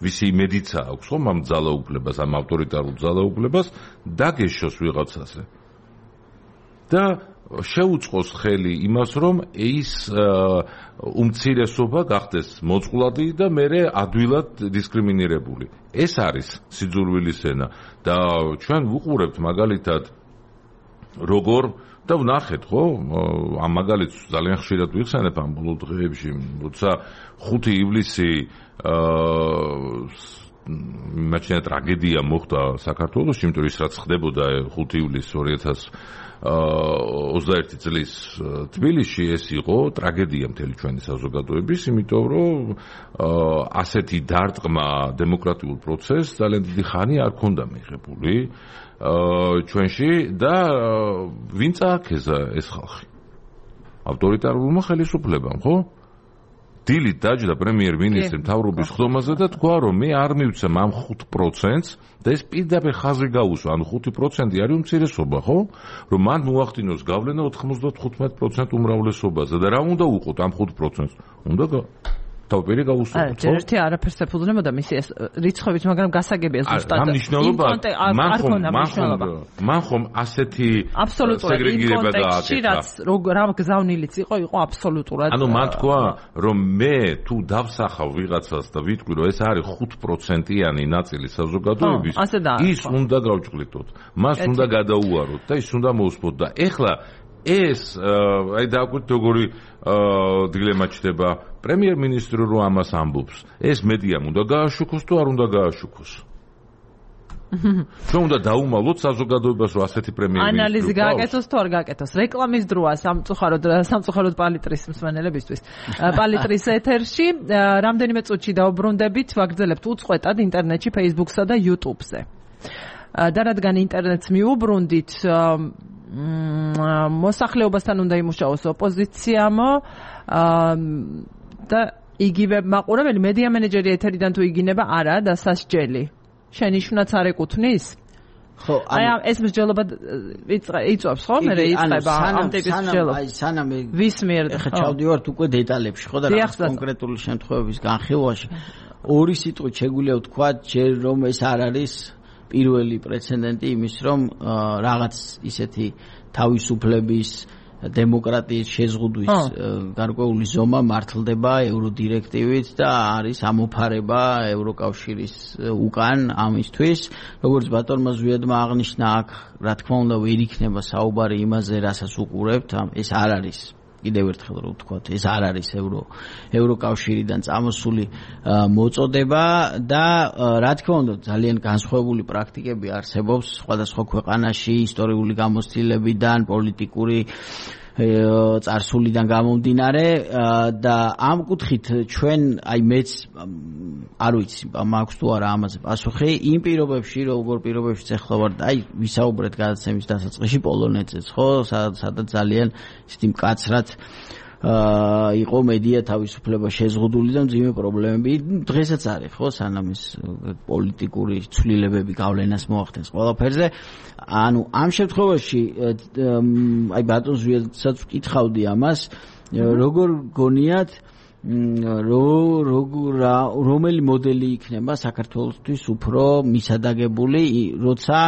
ვისი იმედიცა აქვს ხომ ამ ძალაუფლებას ამ ავტორიტარულ ძალაუფლებას დაგეშოს ვიღაცაზე და შეუწყოს ხელი იმას რომ ის უმცირესობა გახდეს მოწყვლადი და მეორე ადვილად დისკრიმინირებული ეს არის სიძულვილის ენა და ჩვენ ვუყურებთ მაგალითად როგორ და ვნახეთ ხო ამ მაგალითს ძალიან ხშირად ვიხსენებ ამ ბოლო დღეებში როცა 5 ივლისი მაჩვენე ტრაგედია მოხდა საქართველოში იმიტომ ის რაც ხდებოდა 5 ივლისს 2021 წლის თბილისში ეს იყო ტრაგედია მთელი ჩვენი საზოგადოების იმიტომ რომ ასეთი დარტყმა დემოკრატიულ პროცესს ძალიან დიდი ხანი არ ქონდა მიღებული ჩვენში და ვინ წააქეზა ეს ხალხი ავტორიტარულმა ხელისუფლებამ ხო დილით დაჯდა პრემიერ-მინისტრი მთავრობის ხდომაზე და თქვა რომ მე არ მივცემ ამ 5%-ს და ეს პირდაპირ ხაზი გაუსვა ანუ 5% არის უმცირესობა ხო რომ მან მოახდინოს გავლენა 95% უმრავლესობაზე და რა უნდა უყოთ ამ 5%-ს უნდა თავპერი გაუსვათ ხო? ერთი არაფერს ეფუძნებოდა მისი ეს რიცხვებით, მაგრამ გასაგებია ზუსტად. რა მნიშვნელობა? მან ხომ ასეთი სეგრეგირება გააკეთა. რა გზავნილიც იყო აბსოლუტურად. ანუ მან თქვა, რომ მე თუ დავსახავ ვიღაცას და ვიტყვი, რომ ეს არის 5%-იანი ნაწილი საზოგადოების, ის უნდა გავჭყლიტოთ. მას უნდა გადაუაროთ და ის უნდა მოусპოთ და ეხლა ეს აი დააკვირდით როგორი დილემა ჩდება პრემიერ-მინისტრი რო ამას ამბობს ეს მედიამ უნდა გააშუქოს თუ არ უნდა გააშუქოს ჩვენ უნდა დაუმალოთ საზოგადოებას რომ ასეთი პრემიერ-მინისტრი ანალიზი გააკეთოს თუ არ გააკეთოს რეკლამის დროა სამწუხაროდ პალიტრის მსმენელებისთვის პალიტრის ეთერში რამდენიმე წუთში დაუბრუნდებით ვაგრძელებთ უწყვეტად ინტერნეტში Facebook-სა და YouTube-ზე და რადგან ინტერნეტს მიუბრუნდით მოსახლეობასთან უნდა იმუშაოს ოპოზიციამ და იგივე მაყურებელი მედია მენეჯერი ეთერიდან თუ იგინება არა და სასჯელი შენიშვნაც არ ეკუთვნის ხო აი ეს მსჯელობა იწვევს ხო მე იწყება ამ ტიპის მსჯელობა აი სანამ ვის მიერ ხა ჩავდივართ უკვე დეტალებში ხო და რა კონკრეტული შემთხვევების განხილვაში ორი სიტყვით შეგვიძლია ვთქვა ჯერ რომ ეს არ არის პირველი პრეცედენტი იმის რომ რაღაც ისეთი თავისუფლების დემოკრატიის შეზღუდვის გარკვეული ზომა მართლდება ევროდირექტივით და არის ამოფარება ევროკავშირის უკან ამისთვის როგორც ბატონმა ზვიადმა აღნიშნა აქ რა თქმა უნდა ვერ იქნება საუბარი იმაზე რასაც უყურებთ ეს არ არის კიდევ ერთხელ რო ვთქვათ ეს არ არის ევროკავშირიდან წამოსული მოწოდება და რა თქმა უნდა ძალიან განსხვავებული პრაქტიკები არსებობს სხვადასხვა ქვეყანაში ისტორიული გამოცდილებიდან პოლიტიკური წარსულიდან გამომდინარე და ამ კუთხით ჩვენ აი მეც არ ვიცი მაქვს თუ არა ამაზე პასუხი იმ პირობებში როგორ პირობებშიც ახლა ვარ აი ვისაუბრეთ გადაცემის დასაწყისში პოლონეთზეც ხო სადაც ძალიან ისეთი მკაცრად იყო მედია თავისუფლება შეზღუდული და მძიმე პრობლემები დღესაც არის ხო სანამ ეს პოლიტიკური ცვლილებები გავლენას მოახდენს ყველაფერზე ანუ ამ შემთხვევაში აი ბატონ ზვიადსაც ვკითხავდი ამას როგორ გონიათ რომელი მოდელი იქნება საქართველოსთვის უფრო მისადაგებული როცა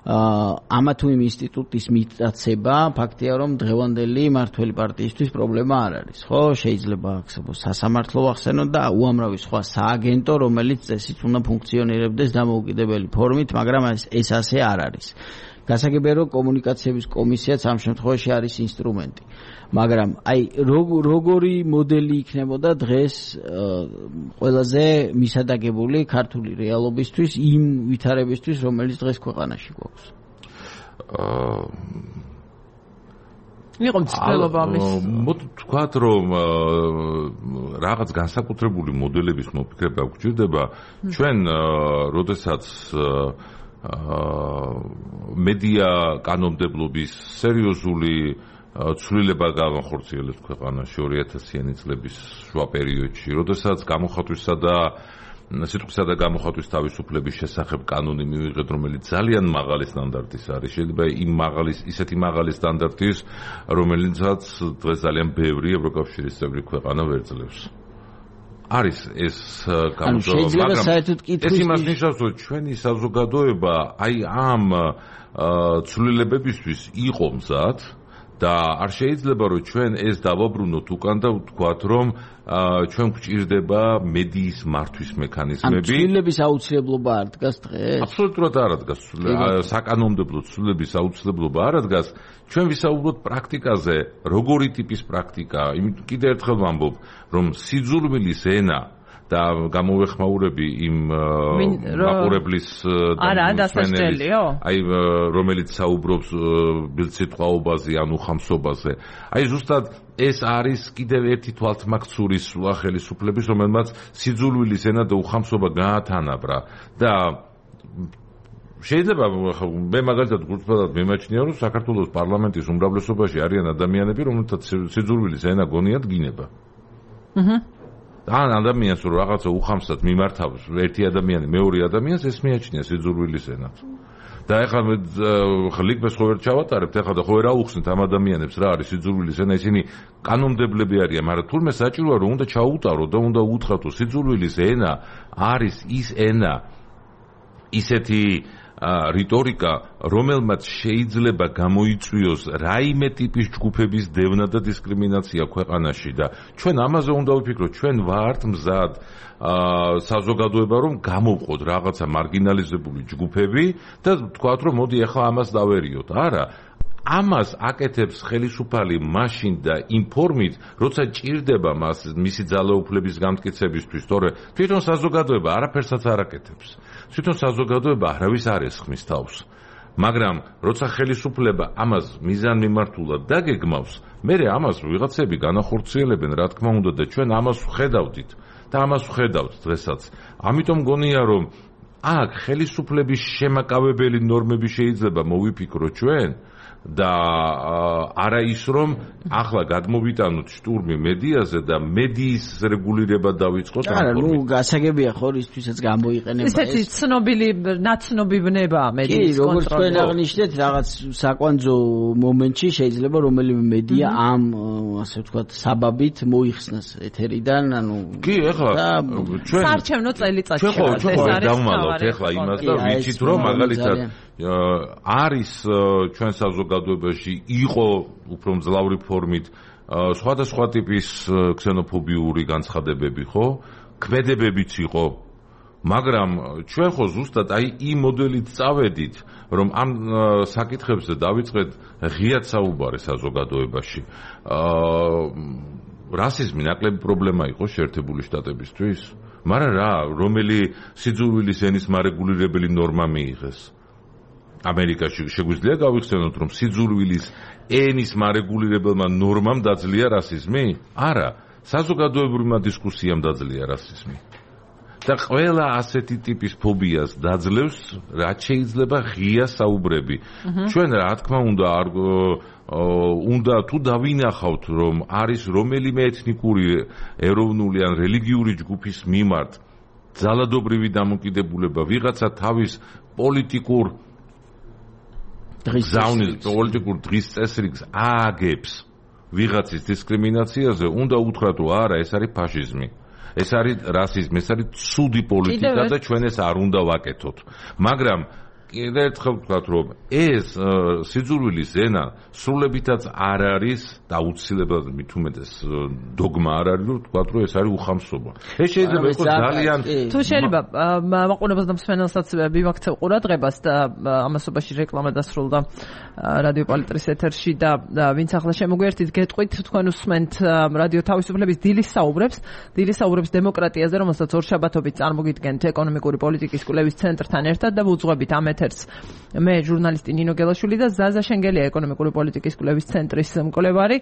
ამა თუ იმ ინსტიტუტის მიტაცება ფაქტია რომ დღევანდელი მართველი პარტიისთვის პრობლემა არ არის ხო შეიძლება ახსენოს სასამართლო ახსენოთ და უამრავი სხვა სააგენტო რომელიც წესით უნდა ფუნქციონირებდეს დამოუკიდებელი ფორმით მაგრამ ეს ასე არ არის გასაგებია რომ კომუნიკაციების კომისიაც ამ შემთხვევაში არის ინსტრუმენტი მაგრამ აი როგორი მოდელი იქნებოდა დღეს ყველაზე მისადაგებული ქართული რეალობისთვის იმ ვითარებისთვის რომელიც დღეს ქვეყანაში გვაქვს იყო მცდელობა ამის. მოდი თქვათ რომ რაღაც განსაკუთრებული მოდელების მოფიქრება გვჭირდება ჩვენ როდესაც მედია კანონმდებლობის სერიოზული ცვლილება განხორციელებს ქვეყანაში 2000-იანი წლების შუა პერიოდში, როდესაც გამოხატვისა და სიტყვისა და გამოხატვის თავისუფლების შესახებ კანონი მივიღეთ, რომელიც ძალიან მაღალი სტანდარტის არის. შეიძლება ისეთი მაღალი სტანდარტის, რომელიცაც დღეს ძალიან ბევრი ევროკავშირის წევრი ქვეყანა ვერ ძლევს. არის ეს შეიძლება საერთოდ კითხვის ეს იმას ნიშნავს, რომ ჩვენი საზოგადოება აი ამ ცვლილებებისთვის იყო მზად და არ შეიძლება რომ ჩვენ ეს დავაბრუნოთ უკან და ვთქვათ რომ ჩვენ გვჭირდება მედიის მართვის მექანიზმები. ცვლილების აუცილებლობა არ დგას დღეს? აბსოლუტურად არ დგას. საკანონმდებლო ცვლილების აუცილებლობა არ დგას. ჩვენ ვისაუბროთ პრაქტიკაზე, როგორი ტიპის პრაქტიკა. კიდევ ერთხელ ვამბობ, რომ სიძულვილის ენა და გამოვეხმაურები იმ მაყურებლის აი რომელიც საუბრობს ბილწითყვაობაზე ან უხამსობაზე. აი ზუსტად ეს არის კიდევ ერთი თვალთმაქცურის ხელისუფლების, რომელმაც სიძულვილის ენა და უხამსობა გაათანაბრა და შეიძლება მე მაგალითად გულწრფელად მიმაჩნია, რომ საქართველოს პარლამენტის უმრავლესობაში არიან ადამიანები, რომელთაც სიძულვილის ენა გონიათ გინება. ან ადამიანს რომ რაღაცა უხამსად მიმართავს ერთი ადამიანი მეორე ადამიანს, ეს მიაჩნია სიძულვილის ენად. და ეხლა ლიგბეს ხო ვერ ჩავატარებთ, ეხლა და ხო ვერ აუხსნით ამ ადამიანებს რა არის სიძულვილის ენა, ისინი კანონმდებლები არიან, მაგრამ თურმე საჭიროა რომ უნდა ჩაუტარო და უნდა უთხრათ, რომ სიძულვილის ენა არის ის ენა, ისეთი რიტორიკა, რომელმაც შეიძლება გამოიწვიოს რაიმე ტიპის ჯგუფების დევნა და დისკრიმინაცია ქვეყანაში და ჩვენ ამაზე უნდა ვიფიქროთ, ჩვენ ვართ მზად საზოგადოება რომ გამოვყოთ რაღაცა მარგინალიზებული ჯგუფები და ვთქვათ რომ მოდი ახლა ამას დავერიოთ. არა, ამას აკეთებს ხელისუფალი მაშინ და იმ ფორმით, როცა ჭირდება მას მისი ძალაუფლების გამტკიცებისთვის, თორე თვითონ საზოგადოება არაფერსაც არ აკეთებს. თვითონ საზოგადოება არავის არ ესხმის თავს. მაგრამ როცა ხელისუფლება ამას მიზანმიმართულად დაგეგმავს, მერე ამას ვიღაცები განახორციელებენ, რა თქმა უნდა და ჩვენ ამას ვხედავდით და ამას ვხედავთ დღესაც. ამიტომ გონია რომ აქ ხელისუფლების შემაკავებელი ნორმები შეიძლება მოვიფიქროთ ჩვენ და არა ის რომ ახლა გადმოვიტანოთ შტურმი მედიაზე და მედიის რეგულირება დავიწყოთ ამ ფორმით. ნუ გასაგებია ხო ისთვისაც გამოიყენება ეს. ესეთი ცნობილი ნაცნობი ბნება მედიის კონტროლი. როგორც თქვენ აღნიშნეთ, რაღაც საკვანძო მომენტში შეიძლება რომელიმე მედია ამ ასე ვთქვათ საბაბით მოიხსნას ეთერიდან, ანუ კი, ეხლა ჩვენ საარჩევნო წელიწადში ჩვენ დავმალოთ ეხლა იმას და ვიცით რომ მაგალითად არის ჩვენ საზოგადოებაში იყო უფრო მძლავრი ფორმით სხვადასხვა ტიპის ქსენოფობიური განცხადებები, ხო? ქმედებებიც იყო. მაგრამ ჩვენ ხო ზუსტად აი იმ მოდელით წავედით, რომ ამ საკითხებზე დავიწყეთ ღიად საუბარი საზოგადოებაში. რასიზმი ნაკლები პრობლემა იყო შეერთებული შტატებისთვის, მაგრამ რა, რომელი სიძულვილის ენის მარეგულირებელი ნორმა მიიღეს? ამერიკაში შეგვიძლია გავიხსენოთ, რომ სიძულვილის ენის მარეგულირებელმა ნორმამ დაძლია რასიზმი? არა, საზოგადოებრივმა დისკუსიამ დაძლია რასიზმი. და ყველა ასეთი ტიპის ფობიას დაძლევს, რაც შეიძლება ღია საუბრები. ჩვენ რა თქმა უნდა თუ დავინახავთ, რომ არის რომელიმე ეთნიკური, ეროვნული ან რელიგიური ჯგუფის მიმართ ძალადობრივი დამოკიდებულება, ვიღაცა თავის პოლიტიკურ დღის წესრიგს ააგებს ვიღაცის დისკრიმინაციაზე, უნდა უთხრათ, რომ არა, ეს არის ფაშიზმი. ეს არის რასიზმი, ეს არის ცუდი პოლიტიკა და ჩვენ ეს არ უნდა ვაკეთოთ. მაგრამ კიდევ ერთხელ ვთქვათ, რომ ეს სიძულვილის ენა სრულებითაც არ არის და აუცილებლად მით უმეტეს დოგმა არ არის, რომ ვთქვათ, რომ ეს არის უხამსობა. ეს შეიძლება იყოს ძალიან თუ შეიძლება მაყურებელს და მსმენელსაც მიმაქცევ ყურადღებას და ამასობაში რეკლამა დასრულდა რადიო პალიტრის ეთერში და ვინც ახლა შემოგვიერთით, გეტყვით თქვენ უსმენთ რადიო თავისუფლების დილის საუბრებს დემოკრატიაზე, რომელსაც ორშაბათობით წარმოგიდგენთ ეკონომიკური პოლიტიკის კვლევის ცენტრთან ერთად და ვუძღვებით ამ ეთერს. მე ჟურნალისტი ნინო გელაშვილი და ზაზა შენგელია ეკონომიკური პოლიტიკის კვლევის ცენტრის მკვლევარი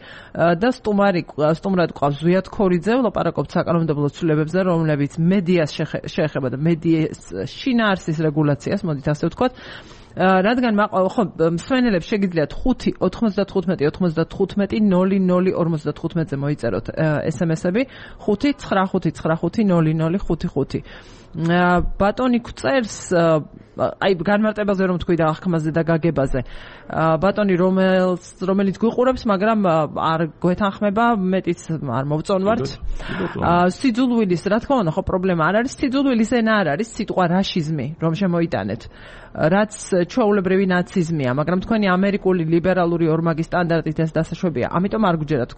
და სტუმრად ყავს ზვიად ქორიძე, ვლაპარაკობთ საკანონმდებლო ცვლილებებზე, რომლებიც მედიას შეეხება და მედიის შინაარსის რეგულაციას, მოდით ასე ვთქვათ. რადგან მსმენელებს შეგიძლიათ 5 95 95 00 55-ზე მოიწეროთ SMS-ები 5 95 95 00 ბატონი გვწერს აი განმარტებაზე რომ თქვი და აღქმაზე და გაგებაზე ბატონი რომელიც გვიყურებს მაგრამ არ გვეთანხმება მეტიც არ მოვწონვართ სიძულვილის რა თქმა უნდა ხო პრობლემა არ არის სიძულვილის ენა არ არის სიტყვა რაშიზმი რომ შემოიტანეთ რაც ჩვეულებრივი ნაციზმია მაგრამ თქვენი ამერიკული ლიბერალური ორმაგი სტანდარტით ეს დასაშვებია ამიტომ არ გჯერათ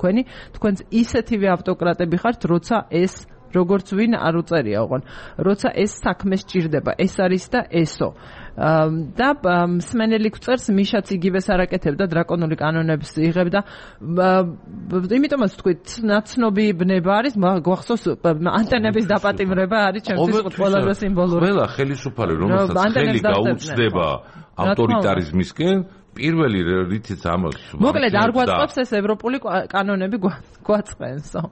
თქვენს ისეთივე ავტოკრატები ხართ როცა ეს როგორც ვინ არ უწერია ოღონ როცა ეს საქმე სჭირდება ეს არის და ესო და მსმენელი გვწერს მიშაც იგივეს არაკეთებდა დრაკონული კანონებს იღებდა იმიტომაც თქვით ნაცნობი ბნება არის გვახსოვს ანტენების დაპატიმრება არის ჩემთვის ყველაზე სიმბოლური ყველა ხელისუფალი რომელსაც ხელი გაუწდება ავტორიტარიზმისკენ პირველი რითიც ამას მოკლედ არ გვაწყობს ეს ევროპული კანონები გვაწყენსო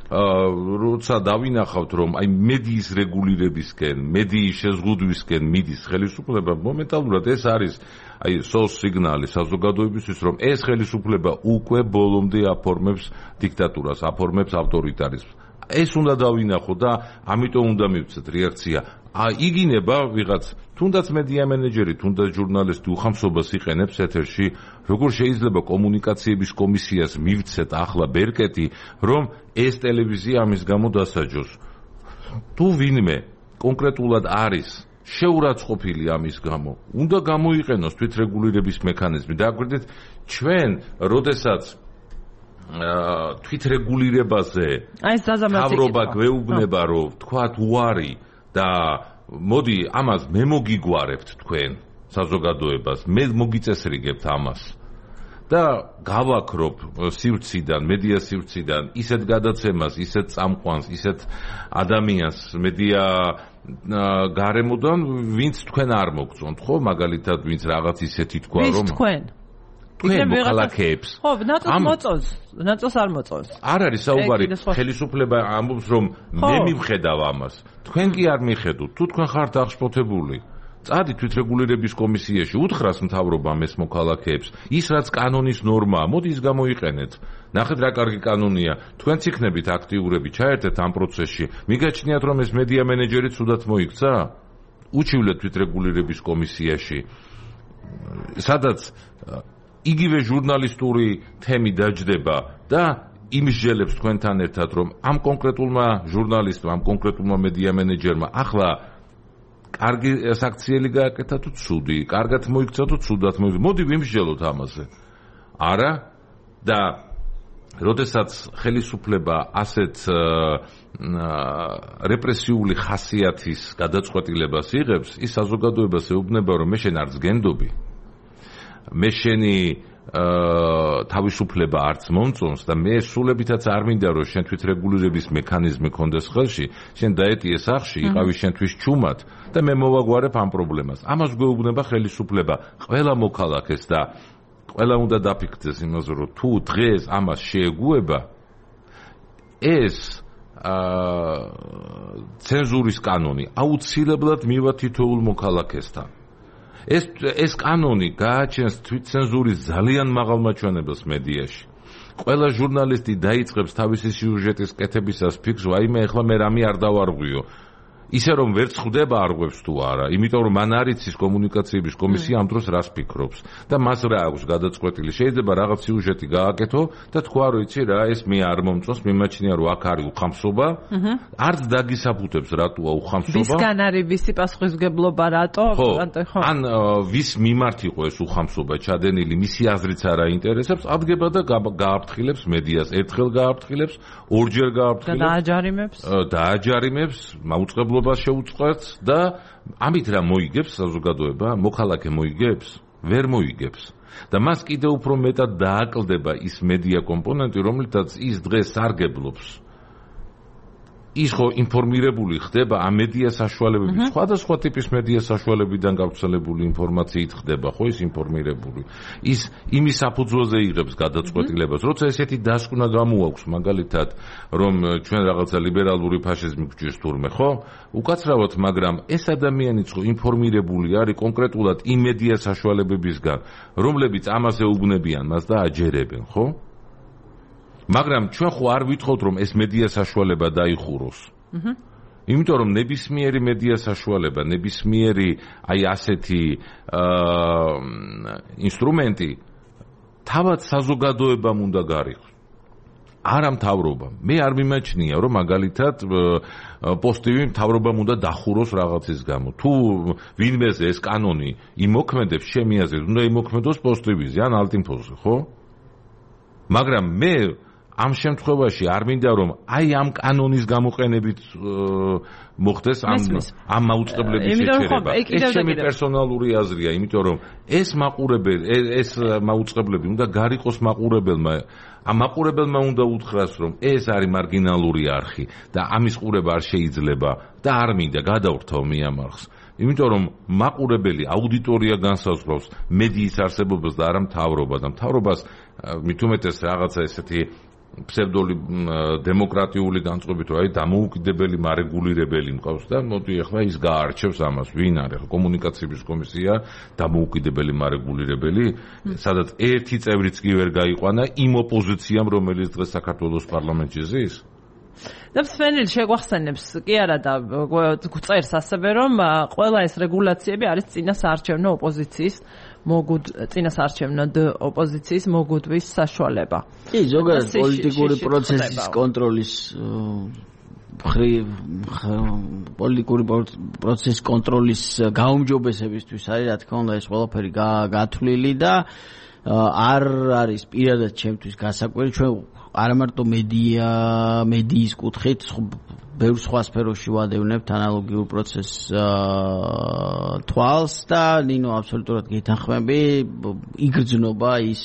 როცა დავინახავთ რომ აი მედიის რეგულირებისკენ, მედიის შეზღუდვისკენ მიდის ხელისუფლება, მომენტალურად ეს არის აი სოს სიგნალი საზოგადოებისთვის, რომ ეს ხელისუფლება უკვე ბოლომდე აფორმებს დიქტატურას, აფორმებს ავტორიტარიზმს. ეს უნდა დავინახო და ამიტომ უნდა მივცეთ რეაქცია. იგინება ვიღაც თუნდაც მედია მენეჯერი, თუნდაც ჟურნალისტი უხამსობას იყენებს ეთერში, როგორ შეიძლება კომუნიკაციების კომისიას მივცეთ ახლა ბერკეტი, რომ ეს ტელევიზია ამის გამო დასაჯოს. თუ ვინმე კონკრეტულად არის შეურაცხყოფილი ამის გამო, უნდა გამოიყენოს თვითრეგულირების მექანიზმი. დააკვირდით, ჩვენ, როდესაც თვითრეგულირებაზე თავრობა გვეუბნება, რომ თქვათ უარი და მოდი ამას მე მოგიგوارებთ თქვენ საზოგადოებას მე მოგიწესრიგებთ ამას და გავაქრობ სივრციდან მედია სივრციდან ისეთ გადაცემას ისეთ წამყვანს ისეთ ადამიანს მედია გარემოდან ვინც თქვენ არ მოგწონთ ხო მაგალითად ვინც რაღაც ისეთი თქვა რომ თქვენ მოქალაქეებს ხო ნაწილს არ მოწონს არ არის საუბარი ხელისუფლება ამბობს რომ მე მივხედავ ამას თქვენ კი არ მიხედოთ თუ თქვენ ხართ აღშფოთებული წადი თვითრეგულირების კომისიაში უთხრას მთავრობამ ეს მოქალაქეებს ის რაც კანონის ნორმაა მოდი ის გამოიყენეთ ნახეთ რა კარგი კანონია თქვენც იქნებით აქტიურები ჩაერთეთ ამ პროცესში მიგაჩნიათ რომ ეს მედია მენეჯერი ცუდად მოიქცა უჩივლეთ თვითრეგულირების კომისიაში სადაც იგივე ჟურნალისტური თემი დაჯდება და იმსჯელებს თქვენთან ერთად რომ ამ კონკრეტულმა ჟურნალისტმა, ამ კონკრეტულმა მედია მენეჯერმა ახლა კარგი საქციელი გააკეთა თუ ცუდი, კარგად მოიქცა თუ ცუდად მოიქცა. მოდი ვიმსჯელოთ ამაზე. არა და როდესაც ხელისუფლება ასეთ რეპრესიული ხასიათის გადაწყვეტილებას იღებს, ის საზოგადოებას ეუბნება რომ მე შენ არც გენდობი მე შენი თავისუფლება არც მომწონს და მე სულებითაც არ მინდა რომ შენ თვითრეგულირების მექანიზმი კონდეს ხელში შენ დაეტიე სახში იყავი შენთვის ჩუმად და მე მოვაგვარებ ამ პრობლემას ამას გვეუბნება ხელისუფლება ყველა მოქალაქეს და ყველა უნდა დაფიქრდეს იმაზე რომ თუ დღეს ამას შეეგუება ეს ცენზურის კანონი აუცილებლად მივა თითოეულ მოქალაქესთან ეს კანონი გააჩენს თვითცენზურის ძალიან მაღალ მაჩვენებელს მედიაში. ყველა ჟურნალისტი დაიწყებს თავისი სიუჟეტის კეთებისას ფიქრს, ვაიმე, ეხლა მე რამე არ დავარღვიო. ისე რომ ვერც ხვდება არღვევს თუ არა, იმიტომ რომ მან არ იცის კომუნიკაციების კომისია ამ დროს რას ფიქრობს და მას რა აქვს გადაწყვეტილი. შეიძლება რაღაც სიუჟეტი გააკეთო და თქვა რომ იცი რა, ეს მე არ მომწონს, მიმაჩნია რომ აქ არის უხამსობა. არც დაგისაფუთებს რატოა უხამსობა. ვისგან არის ვისი პასუხისმგებლობა რატო? ან ვის მიმართ იყო ეს უხამსობა ჩადენილი, მისი აზრიც არ აინტერესებს, ადგება და გააფრთხილებს მედიას, ერთხელ გააფრთხილებს, ორჯერ გააფრთხილებს. დააჯარიმებს, მაუწყებლობას შეუწყობს და ამით რა მოიგებს საზოგადოება, მოქალაქე მოიგებს, ვერ მოიგებს. და მას კიდევ უფრო მეტად დააკლდება ის მედია კომპონენტი, რომლითაც ის დღეს სარგებლობს. ის ხო ინფორმირებული ხდება ამ მედია საშუალებებით, სხვადასხვა ტიპის მედია საშუალებიდან გავრცელებული ინფორმაციით ხდება, ხო ის ინფორმირებული. ის იმის საფუძველზე იღებს გადაწყვეტილებას, როცა ესეთი დასკვნა გამოაქვს, მაგალითად, რომ ჩვენ რაღაცა ლიბერალური ფაშიზმი გვჭირს თურმე, ხო? უკაცრავად, მაგრამ ეს ადამიანიც ხო ინფორმირებული არის კონკრეტულად იმ მედია საშუალებებისგან, რომლებიც ამაზე უბნებიან მას და აჯერებენ, ხო? მაგრამ ჩვენ ხო არ ვითხოვთ რომ ეს მედია საშუალება დაიხუროს. იმიტომ რომ ნებისმიერი მედია საშუალება, ნებისმიერი აი ასეთი ინსტრუმენტი თავად საზოგადოებამ უნდა გარიყოს. არა მთავრობამ. მე არ მიმაჩნია რომ მაგალითად პოსტივი მთავრობამ უნდა დახუროს რაღაცის გამო. თუ ვინმეზე ეს კანონი იმოქმედებს, ჩემი აზრით, უნდა იმოქმედოს პოსტივიზე ან ალტინფოზე, ხო? მაგრამ მე ამ შემთხვევაში არ მინდა რომ აი ამ კანონის გამოყენებით მოხდეს ამ მაუწყებლების შეჩერება. ეს ჩემი პერსონალური აზრია, იმიტომ რომ ეს მაუწყებლები უნდა გარიყოს მაყურებელმა. ამ მაყურებელმა უნდა უთხრას რომ ეს არის მარგინალური არხი და ამის ყურება არ შეიძლება და არ მინდა გადავრთავ მე ამ არხს. იმიტომ რომ მაყურებელი აუდიტორია განსაზღვრავს მედიის არსებობას და არა მთავრობა და მთავრობას მით უმეტეს რაღაცა ესეთი ფსევდოლი დემოკრატიული განწყობით რომ აი დამოუკიდებელი მარეგულირებელი მყავს და მოდი ახლა ის გაარჩევს ამას ვინ არის ახლა კომუნიკაციების კომისია დამოუკიდებელი მარეგულირებელი სადაც ერთი წევრიც კი ვერ გაიყვანა იმ ოპოზიციამ რომელიც დღეს საქართველოს პარლამენტში ზის და სვენილი შეგვახსენებს კი არა და წერს ასევე რომ ყველა ეს რეგულაციები არის წინასაარჩევნო ოპოზიციის წინასაარჩევნო ოპოზიციის მოგუდვის საშუალება. კი, ზოგადად პოლიტიკური პროცესის კონტროლის პოლიტიკური პროცესის კონტროლის გაუმჯობესებისთვის არის, რა თქმა უნდა, ეს ყველაფერი გათვლილი და არ არის პირადად ჩემთვის გასაკვირი, ჩვენ არა მარტო მედიის კუთხით ბევრ სხვა სფეროში ვადევნებთ ანალოგიურ პროცესს თვალს და ნინო აბსოლუტურად გეთანხმები იგრძნობა ის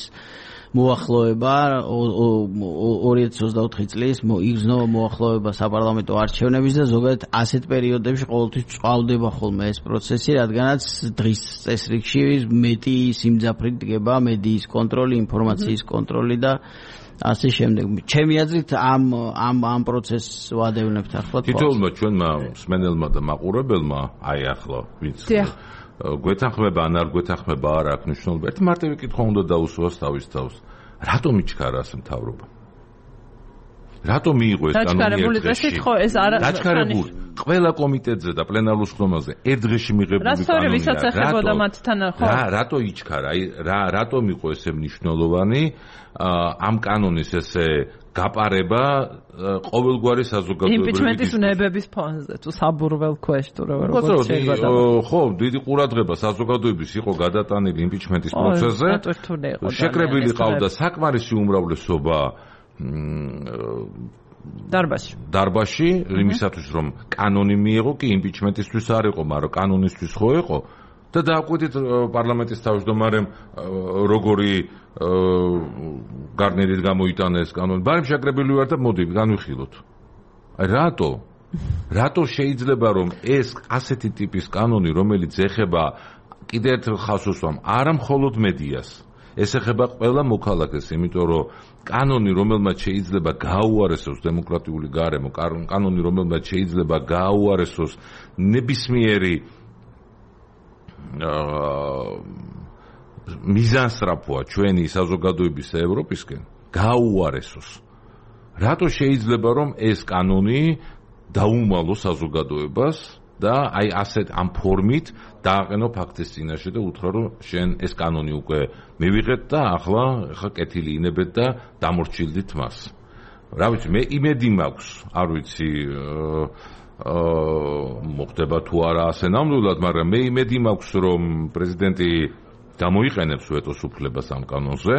მოახლოება 2024 წლის იგრძნობა მოახლოება საპარლამენტო არჩევნების და ზოგადად ასეთ პერიოდებში ყოველთვის წყალდება ხოლმე ეს პროცესი, რადგანაც დღის წესრიგში მეტი სიმძაფრით დგება მედიის კონტროლი, ინფორმაციის კონტროლი და ასე შემდეგ. ჩემი აზრით ამ პროცესს ვადევნებთ ახლა. თითოეულმა ჩვენმა მსმენელმა და მაყურებელმა აი ახლა ვინც გვეთანხმება ან არ გვეთანხმება არ აქვს მნიშვნელობა. ერთი მარტივი კითხვა უნდა დაუსვას თავის თავს. რატომ იჩქარა ასე მთავრობა? რატომ მიიღო ეს კანონი ერთ დღეში? დაჩქარებული. ყველა კომიტეტზე და პლენარულ შრომაზე ერთ დღეში მიღებული კანონია. რასწორი ვისაც ეხებოდა მათთან ხო? რატო იჩქარა? აი რატომ იყო ესე მნიშვნელოვანი ამ კანონის ესე გაპარება ყოველგვარი საზოგადოებრივი იმპიჩმენტის ნებების ფონზე თუ საბურվել ქვეშ თუ როგორც შეიძლება ხო დიდი ყურადღება საზოგადოების იყო გადატანილი იმპიჩმენტის პროცესზე შეკრებილი ყავდა საკმარისი უმრავლესობა დარბაზში იმისათვის რომ კანონი მიიღო კი იმპიჩმენტისთვის არ იყო მაგრამ კანონისთვის ხო იყო და დააკვირდით პარლამენტის თავმჯდომარემ როგორი გარნერით გამოიტანეს კანონი. ბარემ შეკრებილი ვარ და მოდი განვიხილოთ. აი რატო შეიძლება რომ ეს ასეთი ტიპის კანონი რომელიც ეხება კიდევ ერთ ხალხს უსვამ არა მხოლოდ მედიას ეს ეხება ყველა მოქალაქეს, იმიტომ რომ კანონი რომელმაც შეიძლება გააუარესოს დემოკრატიული გარემო, კანონი რომელმაც შეიძლება გააუარესოს ნებისმიერი მიზანსწრაფოა ჩვენი საზოგადოების ევროპისკენ გააუარესოს. რატო შეიძლება რომ ეს კანონი დაუმალოს საზოგადოებას და აი ასეთ ამ ფორმით დააყენო ფაქტის წინაშე და უთხრა რომ შენ ეს კანონი უკვე მივიღეთ და ახლა კეთილი ინებეთ და დამორჩილდით მას. რა ვიცი, მე იმედი მაქვს, არ ვიცი მოხდება თუ არა ასე ნამდვილად, მაგრამ მე იმედი მაქვს რომ პრეზიდენტი გამოიყენებს ვეტოს უფლებას ამ კანონზე,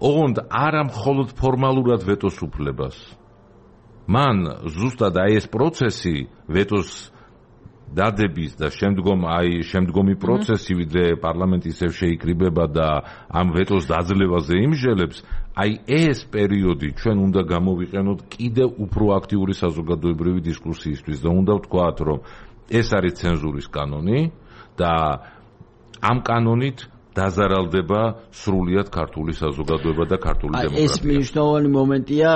ოღონდ არა მხოლოდ ფორმალურად ვეტოს უფლებას. მან ზუსტად აი ეს პროცესი ვეტოს დადების და შემდგომი პროცესი ვიდრე პარლამენტი ისევ შეიკრიბება და ამ ვეტოს დაძლევაზე იმჟელებს, ეს პერიოდი ჩვენ უნდა გამოვიყენოთ კიდევ უფრო აქტიური საზოგადოებრივი დისკუსიისთვის და უნდა ვთქვათ, რომ ეს არის ცენზურის კანონი და ამ კანონით დაზარალდება სრულიად ქართული საზოგადოება და ქართული დემოკრატია. ეს მნიშვნელოვანი მომენტია,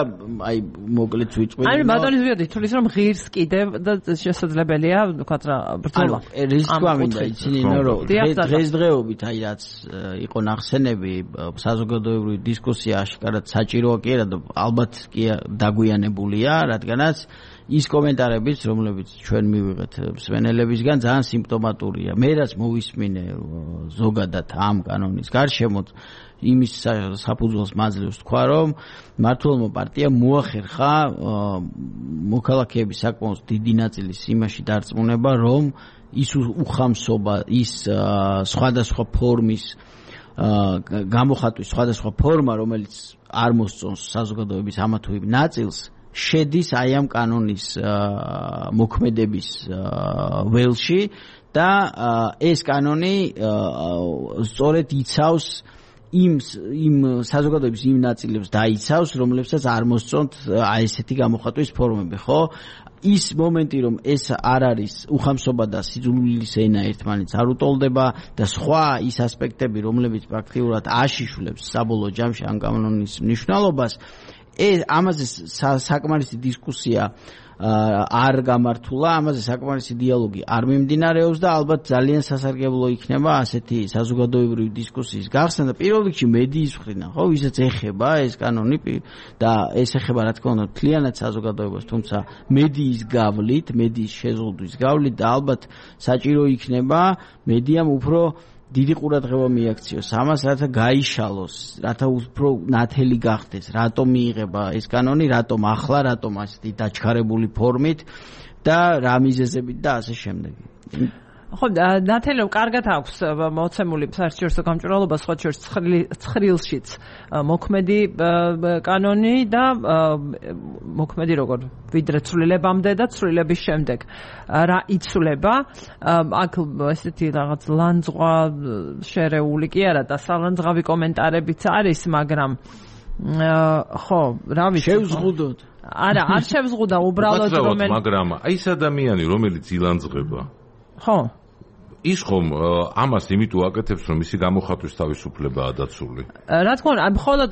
მოკლედ ვიწყვილ. ბატონის ვიოდი თulis რომ ღირს კიდევ და შესაძლებელია ვთქვათ რა ბრძოლა. ეს თქვა მინდა იცინი რომ დღესდღეობით რაც იყო ნახსენები საზოგადოებრივი დისკუსია აშკარად საჭიროა კი არა და ალბათ კი დაგვიანებულია, რადგანაც ის კომენტარებიც, რომლებიც ჩვენ მივიღეთ მსმენელებისგან, ძალიან სიმპტომატურია. მე რაც მოვისმინე ზოგადად ამ კანონის გარშემო, იმის საფუძველს მაძლევს თქვა, რომ მმართველმა პარტიამ მოახერხა მოქალაქეების საკმაოდ დიდი ნაწილის იმაში დარწმუნება, რომ ის უხამსობა, ის სხვადასხვა ფორმის გამოხატვის სხვადასხვა ფორმა, რომელიც არ მოსწონს საზოგადოების ამა თუ იმ ნაწილს, შედის აი ამ კანონის მოქმედების ველში და ეს კანონი სწორედ იცავს იმ საზოგადოების იმ ნაწილებს დაიცავს, რომლებსაც არ მოსწონთ აი ესეთი გამოხატვის ფორმები, ხო? ის მომენტი, რომ ეს არ არის უხამსობა და სიძულვილის ენა ერთმანეთს არ უტოლდება და სხვა ის ასპექტები, რომლებიც პრაქტიკულად აშიშვლებს საბოლოო ჯამში ამ კანონის მნიშვნელობას, ამაზე საკმარისი დისკუსია არ გამართულა, ამაზე საკმარისი დიალოგი არ მიმდინარეობს და ალბათ ძალიან სასარგებლო იქნება ასეთი საზოგადოებრივი დისკუსიის გახსნა და პირველ რიგში მედიის მხრიდან, ხო, ვისაც ეხება ეს კანონი და ეს ეხება რა თქმა უნდა მთლიანად საზოგადოებას, თუმცა მედიის გავლით, მედიის შეზღუდვის გავლით და ალბათ საჭირო იქნება მედიამ უფრო დიდი ყურადღება მიაქციოს ამას, რათა გაიშალოს, რათა უფრო ნათელი გახდეს, რატომ მიიღება ეს კანონი, რატომ ახლა, რატომ ასეთი დაჩქარებული ფორმით და რა მიზეზებით და ასე შემდეგ. ხო, ნათელი კარგად აქვს მოცემული საერთაშორისო გამჭვირვალობა, სხვა შორის ცხრილშიც მოქმედი კანონი და მოქმედი როგორ ვიდრე ცვლილებამდე და ცვლილების შემდეგ რა იცვლება, აქ ესეთი რაღაც ლანძღვა შერეული კი არა და სალანძღავი კომენტარებიც არის, მაგრამ ხო, რა ვიცი, შევზღუდოთ. არა, არ შევზღუდა, უბრალოდ რომელიც მაგრამ აი ეს ადამიანი, რომელიც ილანძღება, ხო, ის ხომ ამას იმიტომ აკეთებს, რომ ისი გამოხატვის თავისუფლებაა დაცული. რა თქმა უნდა, მხოლოდ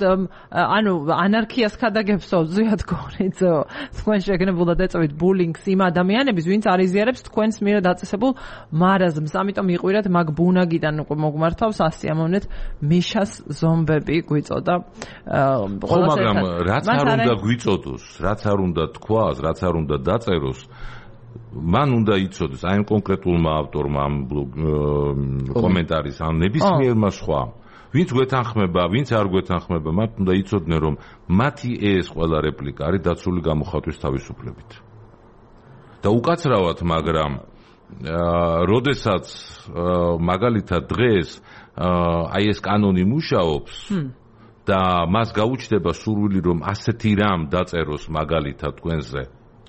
ანუ ანარქიას ქადაგებსო ზიად გორიძო, თქვენ შეგნებულად ეწევით ბულინგს იმ ადამიანების, ვინც არ იზიარებს თქვენს მიერ დაწესებულ მარაზმს. ამიტომ იყვირათ მაგ ბუნაგიდან მოგმართავს ასიამოვნეთ მიშას ზომბები გვიწოდა. ხო, მაგრამ რაც არ უნდა გვიწოდოს, რაც არ უნდა თქვას, რაც არ უნდა დაწეროს, მან უნდა იცოდეს აი ამ კონკრეტულმა ავტორმა ამ კომენტარის ან ნებისმიერმა სხვა, ვინც გვეთანხმება, ვინც არ გვეთანხმება, მათ უნდა იცოდნენ, რომ მათი ეს ყველა რეპლიკა არის დაცული გამოხატვის თავისუფლებით. და უკაცრავად, მაგრამ როდესაც მაგალითად დღეს აი ეს კანონი მუშაობს და მას გაუჩნდება სურვილი, რომ ასეთი რამ დაწეროს მაგალითად თქვენზე,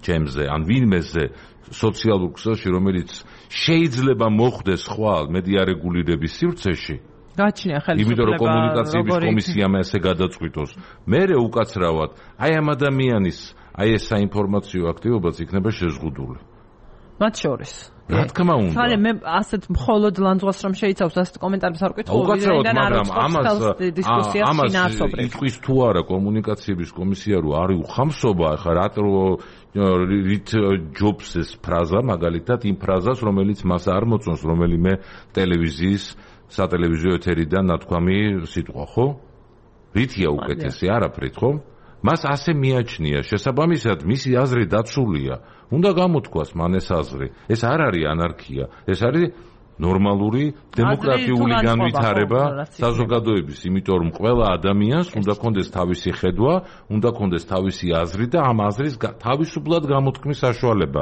ჩემზე ან ვინმეზე სოციალურ ქსელში, რომელიც შეიძლება მოხდეს ხვალ მედიარეგულირების სივრცეში. გაჩნია ხელისუფლება. იმიტომ რომ კომუნიკაციების კომისიამ ესე გადაწყვიტოს. მერე უკაცრავად, აი ამ ადამიანის აი ეს საინფორმაციო აქტივობაც იქნება შეზღუდული. მათ შორის. რა თქმა უნდა. ხალე მე ასეთ მხოლოდ ლანძღვას რომ შეიცავს ასეთ კომენტარებს არ ვკითხულობ, ვიდრე მაგრამ ამას იტყვის თუ არა კომუნიკაციების კომისია რომ არის უხამსობა, ახლა რით ჯობს ეს ფრაზა მაგალითად იმ ფრაზას, რომელიც მას არ მოწონს რომელიმე ტელევიზიის სატელევიზიო ეთერიდან ნათქვამი სიტყვა, ხო? რითია უკეთესი, არაფრით, ხო? მას ასე მიაჩნია, შესაბამისად მისი აზრი დაცულია. უნდა გამოთქვას მან ეს აზრი. ეს არ არის ანარქია, ეს არის ნორმალური დემოკრატიული განვითარება საზოგადოების, იმიტომ რომ ყველა ადამიანს უნდა კონდეს თავისი ხედვა, უნდა კონდეს თავისი აზრი და ამ აზრის თავისუფლად გამოთქმის საშუალება.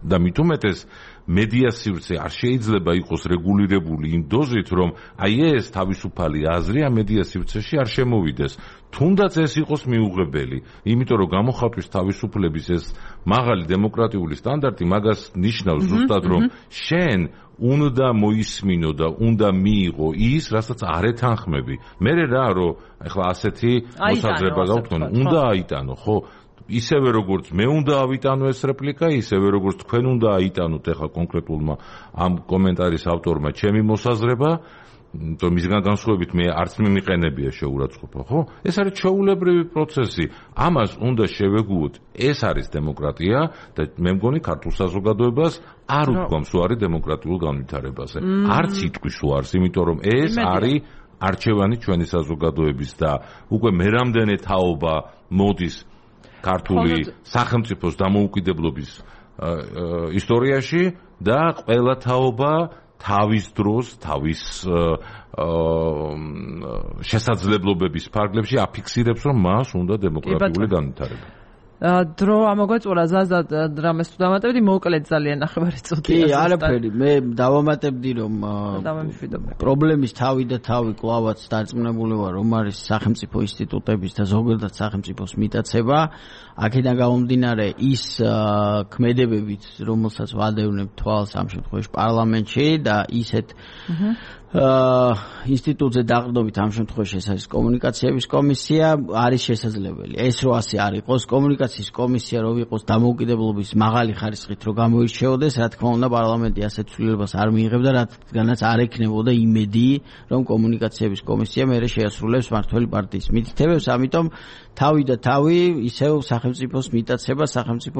და მით უმეტეს მედია სივრცე არ შეიძლება იყოს რეგულირებული იმ დოზით, რომ აი ეს თავისუფალი აზრი ამ მედია სივრცეში არ შემოვიდეს. თუნდაც ეს იყოს მიუღებელი, იმიტომ რომ გამოხატვის თავისუფლების ეს მაღალი დემოკრატიული სტანდარტი მაგას ნიშნავს ზუსტად, რომ შენ უნდა მოისმინო და უნდა მიიღო ის, რასაც არ ეთანხმები. მერე რა, რომ ეხლა ასეთი მოსაზრება გავთქონ, უნდა აიტანო, ხო? ისევე როგორც მე უნდა ავიტანო ეს რეპლიკა, ისევე როგორც თქვენ უნდა აიტანოთ ეხლა კონკრეტულმა ამ კომენტარის ავტორმა ჩემი მოსაზრება, то მისგან განსხვავებით მე არც მიმიყენებია შეურაცხყოფა, ხო? ეს არის ჩვეულებრივი პროცესი. ამას უნდა შევეგუოთ. ეს არის დემოკრატია და მე მგონი ქართულ საზოგადოებას არ უდგამს უარი დემოკრატიულ განვითარებაზე. არც იტყვის უარს, იმიტომ რომ ეს არის არჩევანი ჩვენი საზოგადოების და უკვე მე რამდენი თაობა მოდის ქართული სახელმწიფოს დამოუკიდებლობის ისტორიაში და ყველა თაობა თავის დროს, თავის შესაძლებლობების ფარგლებში აფიქსირებს, რომ მას უნდა დემოკრატიული განვითარება. დრო ამოგვეწურა ზაზად რამეს თუ დამატებდი, მოკლედ ძალიან ნახევარი წუთია. კი, არაფერი, მე დავამატებდი, რომ პრობლემის თავი და თავი კლავაც დარწმუნებული ვარ, რომ არის სახელმწიფო ინსტიტუტების და ზოგადად სახელმწიფოს მიტაცება. აქედან გამომდინარე ის ქმედებებით, რომელსაც ვადევნებ თვალს ამ შემთხვევაში პარლამენტში და ისეთ ინსტიტუტზე დაყრდნობით ამ შემთხვევაში ეს არის კომუნიკაციების კომისია, არის შესაძლებელი. ეს რო ასე არ იყოს, კომუნიკაციის კომისია რო იყოს დამოუკიდებლობის მაღალი ხარისხით რო გამოირჩეოდეს, რა თქმა უნდა პარლამენტი ასეთ ცვლილებას არ მიიღებდა, რადგანაც არ ექნებოდა იმედი, რომ კომუნიკაციების კომისია მერე შეასრულებს მმართველი პარტიის მითითებებს, ამიტომ თავი და თავი ისევ სახელმწიფოს მიტაცება, სახელმწიფო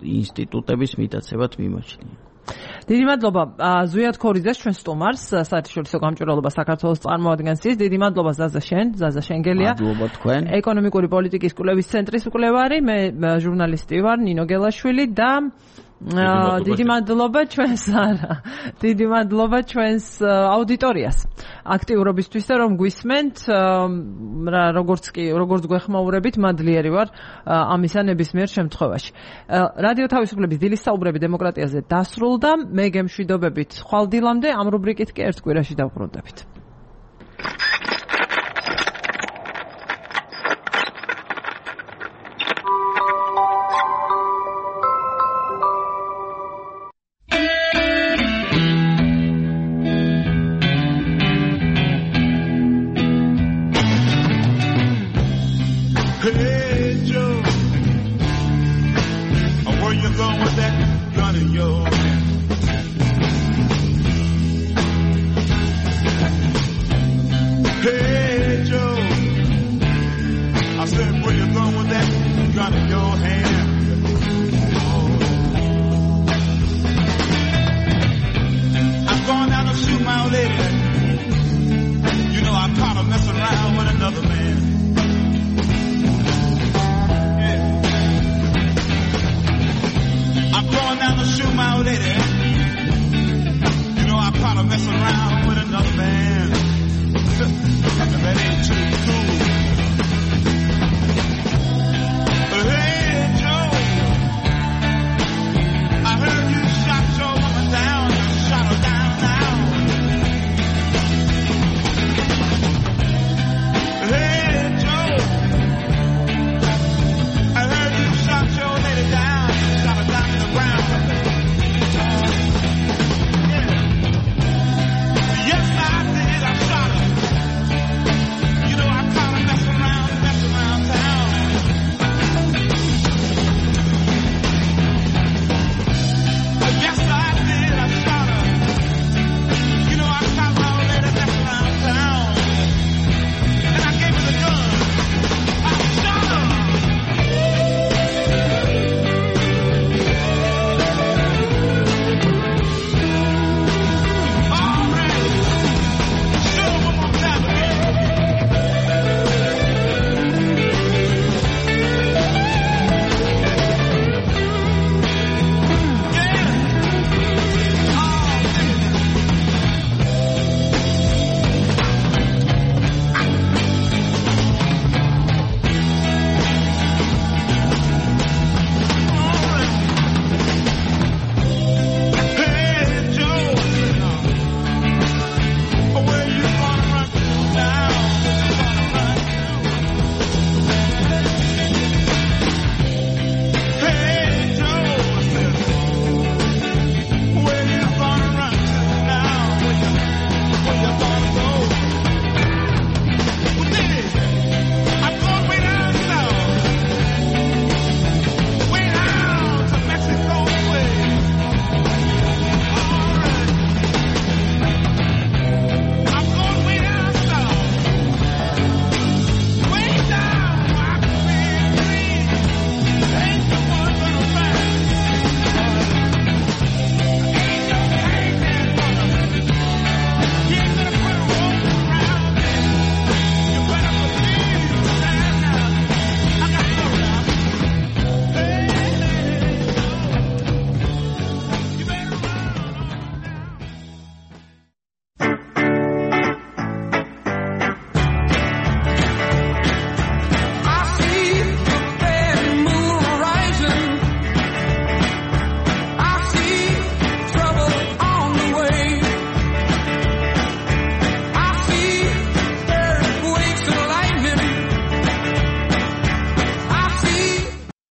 ინსტიტუტების მიტაცებად მიმაჩნია. დიდი მადლობა ზვიად ქორიძეს ჩვენ სტუმარს საერთაშორისო გამჭვირვალობა საქართველოს წარმოადგენს ის. დიდი მადლობა ზაზა შენგელია. მადლობა თქვენ. ეკონომიკური პოლიტიკის კვლევის ცენტრის მკვლევარი, მე ჟურნალისტი ვარ ნინო გელაშვილი და დიდი მადლობა ჩვენს აუდიტორიას აქტიურობისთვის და რომ გვისმენთ, როგორც გვეხმაურებით, მადლიერი ვარ ამისა ნებისმიერ შემთხვევაში. რადიო თავისუფლების დილის საუბრები დემოკრატიაზე დასრულდა. მე გემშვიდობებით ხვალ დილამდე, ამ რუბრიკით კი ერთ კვირაში დავბრუნდებით. Mess around